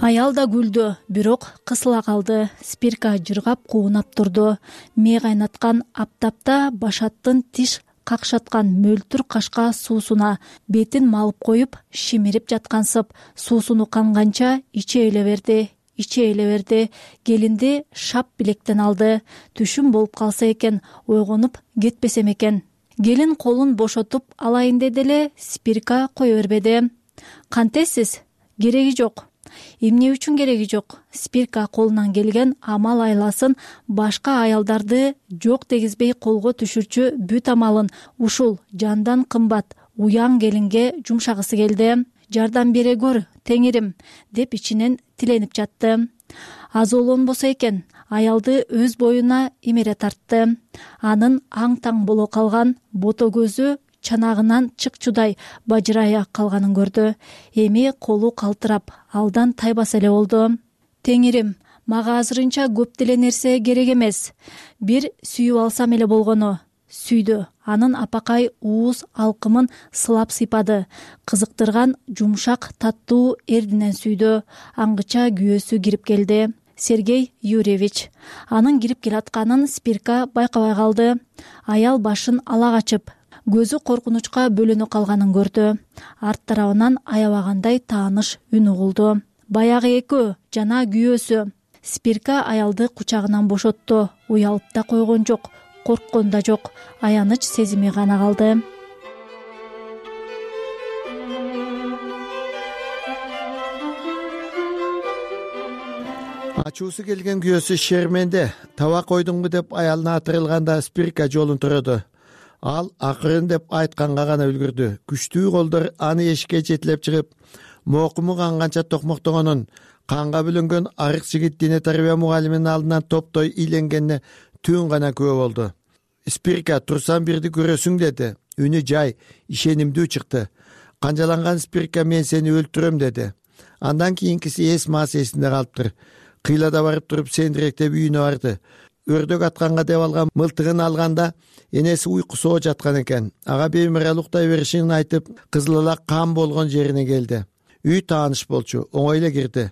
Аял да күлдү, бирок кысыла калды. Спирка жыргап куунап турду. Мээ кайнаткан аптапта башаттын тиш какшаткан мөлтүр кашка суусуна бетин малып коюп, шимирип жаткансып, суусуну канганча иче эле берди. Иче эле берди. Келинди шап билектен алды. Түшүм болуп калса экен, ойгонуп кетпесем экен. Келин колун бошотуп алайын деди эле, Спирка кое бербеди. Кантесиз? Кереги жок. Эмне үчүн кереги жок? Спирка колунан келген амал айласын, башка аялдарды жок дегизбей колго түшүрчү бүт амалын ушул жандан кымбат уяң келинге жумшагысы келди. Жардам бере көр, теңирим, деп ичинен тиленип жатты. Аз олонбосо экен, аялды өз боюна эмере тартты. Анын аң-таң боло калган бото көзү чанагынан чыкчудай бажырая калганын көрдү. Эми колу калтырап, алдан тайбаса эле болду. Теңирим, мага азырынча көп деле нерсе керек эмес. Бир сүйүп алсам эле болгону. Сүйдү. Анын апакай ууз алкымын сылап сыйпады. Кызыктырган жумшак таттуу эрдинен сүйдү. Аңгыча күйөөсү кирип келди. Сергей Юрьевич. Анын кирип келатканын Спирка байкабай калды. Аял башын ала качып, көзү коркунучка бөлөнө калганын көрдү. Арт тарабынан аябагандай тааныш үн угулду. Баягы экөө, жана күйөөсү. Спирка аялды кучагынан бошотту. Уялып да койгон жок, корккон да жок. Аяныч сезими гана калды. Ачуусу келген күйөөсү шерменде табак койдуңбу деп аялына атырылганда Спирка жолун турду. Ал акырын деп айтканга гана үлгүрдү. Күчтүү колдор аны эшикке жетелеп чыгып, мокуму канганча токмоктогонун, канга бөлөнгөн арык жигит дине тарбия мугалиминин алдынан топтой ийленгенине түн гана күбө болду. Спирка турсаң бирди көрөсүң деди. Үнү жай, ишенимдүү чыкты. канжаланган спирка мен сени өлтүрөм деди. Андан кийинкиси эс маас эсинде калыптыр. Кыйлада барып туруп сендиректеп үйүнө барды. Өрдөк атканга деп алган мылтыгын алганда энеси уйкусоо жаткан экен. Ага беймарал уктай беришин айтып, кызыл эле кан болгон жерине келди. Үй тааныш болчу, оңой эле кирди.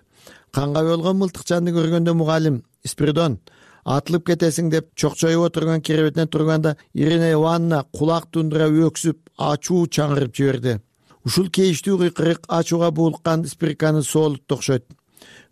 Канга болгон мылтыкчанды көргөндө мугалим Спиридон атылып кетесиң деп чокчоюп отурган керебетинен турганда Ирина Ивановна кулак тундура өксүп, ачуу чаңырып жиберди. Ушул кейиштүү кыйкырык ачууга булккан спирканы соолутту окшойт.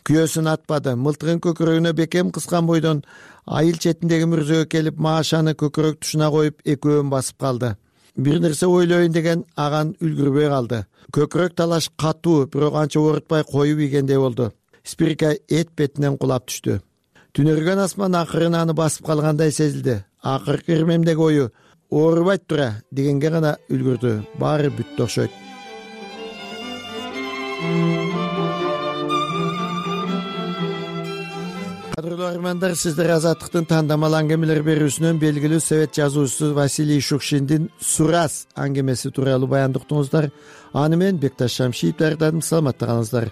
Күйөөсүн атпады. Мылтыгын көкөрөгүнө бекем кыскан бойдон айыл четиндеги мүрзөгө келип Машаны көкөрөк тушуна коюп экөөнүн басып калды. Бир нерсе ойлойн деген аган үлгүрбөй калды. Көкөрөк талаш катуу, бирок анча оорутпай коюп ийгендей болду. Спирка эт бетинен кулап түштү. Түнөргөн асман акырын аны басып калгандай сезилди. Акыркы ирмемдеги ою оорубайт тура дегенге гана үлгүрдү. Баары бүттү окшойт. Кадырлуу армандар, сиздер Азаттыктын тандамал аңгемелер берүүсүнөн белгилүү совет жазуучусу Василий Шукшиндин «Сурас» аңгемеси тууралуу баяндыктыңыздар. Аны мен Бекташ Шамшиев даярдадым. Саламатта калыңыздар.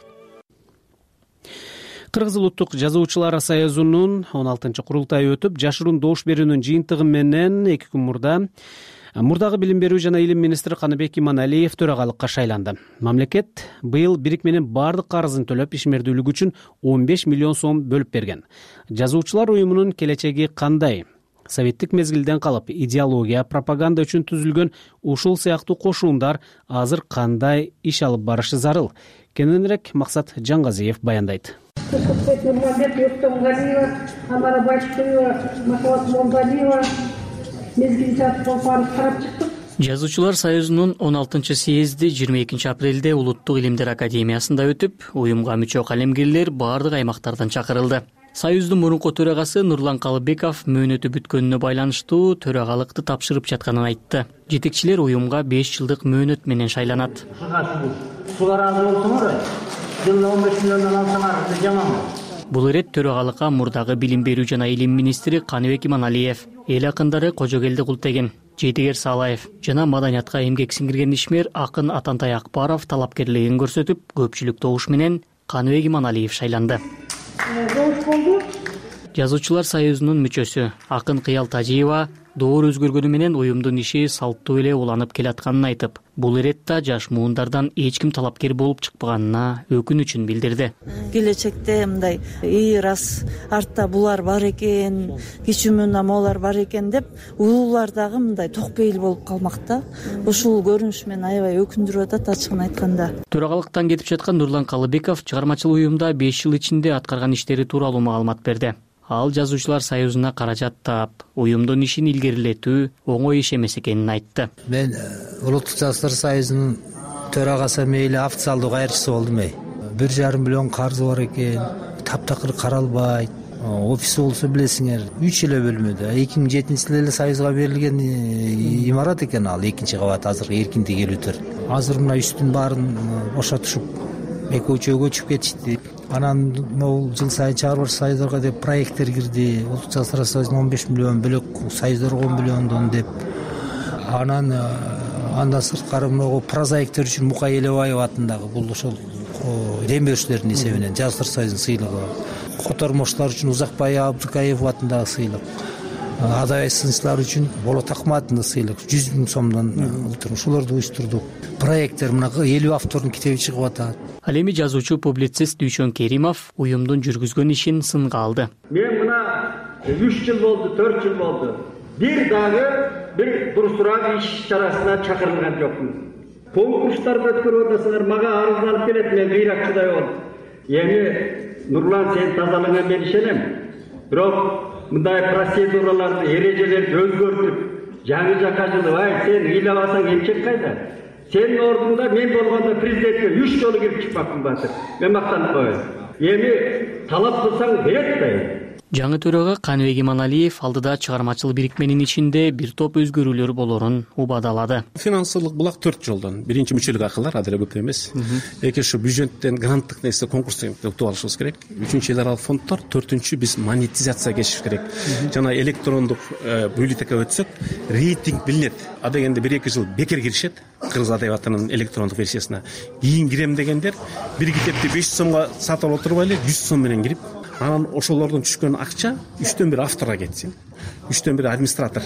Кыргыз улуттук жазуучулар союзунун он алтынчы курултайы өтүп, жашыруун добуш берүүнүн жыйынтыгы менен эки күн мурда мурдагы билим берүү жана илим министри Каныбек Иманалиев төрагалыкка шайланды. Мамлекет быйыл бирик менен бардык карызын төлөп, ишмердүүлүк үчүн он беш миллион сом бөлүп берген. Жазуучулар уюмунун келечеги кандай? Советтик мезгилден калып, идеология, пропаганда үчүн түзүлгөн ушул сыяктуу кошундар азыр кандай иш алып барышы зарыл? Кененирээк Максат Жаңгазиев баяндайт. Нурмамбет Өктөмгалиева, Амара Башкыева, Махабат Молдалиева мезгил жатып барып карап чыктык. Жазуучулар союзунун он алтынчы съезди жыйырма экинчи апрелде Улуттук илимдер академиясында өтүп, уюмга мүчө калемгерлер бардык аймактардан чакырылды. Союздун мурунку төрагасы Нурлан Калыбеков мөөнөтү бүткөнүнө байланыштуу төрагалыкты тапшырып жатканын айтты. Жетекчилер уюмга беш жылдык мөөнөт менен шайланат. Сулар аз болсоңор, жылына он беш миллиондон алсаңар жаманбы? Бул ирет төрагалыкка мурдагы билим берүү жана илим министри Каныбек Иманалиев, эл акындары Кожогелди Култеген, Жетигер Салаев жана маданиятка эмгек сиңирген ишмер акын Атантай Акбаров талапкерлигин көрсөтүп, көпчүлүк добуш менен Каныбек Иманалиев шайланды. Жазуучулар союзунун мүчөсү акын Кыял Тажиева доор өзгөргөнү менен уюмдун иши салттуу эле уланып келатканын айтып, бул иретте жаш муундардан эч ким талапкер болуп чыкпаганына өкүнүчүн билдирди. Келечекте мындай ии рас артта булар бар экен, кичүүмүн амалар бар экен деп улуулар дагы мындай токпейил болуп калмакта. Ушул көрүнүш мени аябай өкүндүрүп атат, ачыгын айтканда. Төрагалыктан кетип жаткан Нурлан Калыбеков чыгармачыл уюмда беш жыл ичинде аткарган иштери тууралуу маалымат берди. Ал жазуучулар союзуна каражат таап, уюмдун ишин илгерилетүү оңой иш эмес экенин айтты. Мен Улуттук жазуучулар союзунун төрагасы мейли официалдуу кайрычысы болдум. бир жарым миллион карызы бар экен, таптакыр каралбайт. Офиси болсо билесиңер, үч эле бөлмөдө. эки миң жетинчи жылы эле союзга берилген имарат экен ал, экинчи кабат азыр эркиндик келүүдөр. Азыр мына үстүн баарын бошотушуп, экөө үчөөгө көчүп кетишти. Анан могул жыл сайын чыгарып союздарга деп проекттер кирди. Улуттук жазуучулар союзуна он беш миллион, бөлөк союздорго он миллиондон деп. Анан андан сырткары могу прозаиктер үчүн Мукай Элебаев атындагы бул ошол дем берүүчүлөрдүн эсебинен жазуучулар союзунун сыйлыгы. Котормоштор үчүн Узакбай Абдыкаев атындагы сыйлык. Адабий сынчылар үчүн Болот Акматовдун сыйлык жүз миң сомдон ушуларды уюштурдук. Проекттер мына элүү автордун китеби чыгып атат. Ал эми жазуучу публицист Дүйшөн Керимов уюмдун жүргүзгөн ишин сынга алды. Мен мына үч жыл болду, төрт жыл болду. Бир дагы бир дурусураак иш чарасына чакырылган жокмун. Конкурстарды өткөрүп атасыңар, мага арызданып келет, мен кыйракчыдай болдум. Эми Нурлан, сен тазалыгыңа мен ишенем. Бирок мындай процедураларды, эрежелерди өзгөртүп, жаңы жака жылыбай, сен ыйлабасаң эмчек кайда? Сенин ордуңда мен болгондо президентке үч жолу кирип чыкпакмын батыр. Мен мактанып коеюн. Эми талап кылсаң берет да. жаңы төрага Каныбек Иманалиев алдыда чыгармачыл бирикменин ичинде бир топ өзгөрүүлөр болорун убадалады. Финансылык булак төрт жолдон. Биринчи мүчөлүк акылар азыр көп эмес. Эки ушу бюджеттен гранттык нерсе конкурстан утуп алышыбыз керек. Үчүнчү эл аралык фонддор, төртүнчү биз монетизацияга кечишибиз керек. Жана электрондук бюллетенге өтсөк, рейтинг билинет. А дегенде бир эки жыл бекер киришет кыргыз адабиятынын электрондук версиясына. Кийин кирем дегендер бир китепти беш жүз сомго сатып алып отурбай эле жүз сом менен кирип, анан ошолордон түшкөн акча үчтөн бири авторго кетсин, үчтөн бири администратор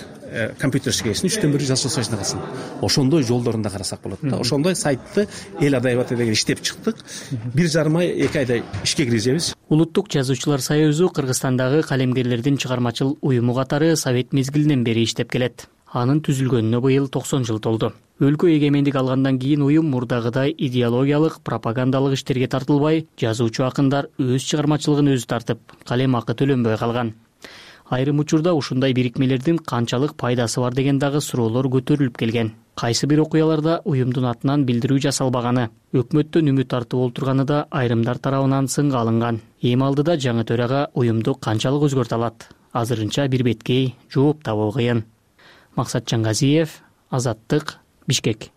компьютер ишке кетсин, үчтөн бири жасоочусуна калсын. Ошондой жолдорун да карасак болот да. Ошондой сайтты эл адабияты деген иштеп чыктык. бир жарым ай, эки айда ишке киргизебиз. Улуттук жазуучулар союзу Кыргызстандагы калемгерлердин чыгармачыл уюму катары Совет мезгилинен бери иштеп келет. Анын түзүлгөнүнө быйыл токсон жыл толду. Өлкө эгемендик алгандан кийин уюм мурдагыдай идеологиялык, пропагандалык иштерге тартылбай, жазуучу акындар өз чыгармачылыгын өзү тартып, калем акы төлөнбөй калган. Айрым учурда ушундай бирикмелердин канчалык пайдасы бар деген дагы суроолор көтөрүлүп келген. Кайсы бир окуяларда уюмдун атынан билдирүү жасалбаганы, өкмөттөн үмүт тартып олтурганы да айрымдар тарабынан сынга алынган. Эми алдыда жаңы төрага уюмду канчалык өзгөртө алат? Азырынча бир беткей жооп табуу кыйын. Максат Чангазиев, Азаттык, Бишкек.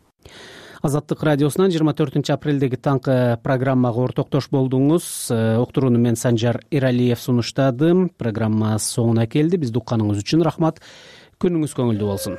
Азаттык радиосунан жыйырма төртүнчү апрелдеги таңкы программага ортоктош болдуңуз. Уктурууну мен Санжар Эралиев сунуштадым. Программа соңуна келди. Бизди укканыңыз үчүн рахмат. Күнүңүз көңүлдүү болсун.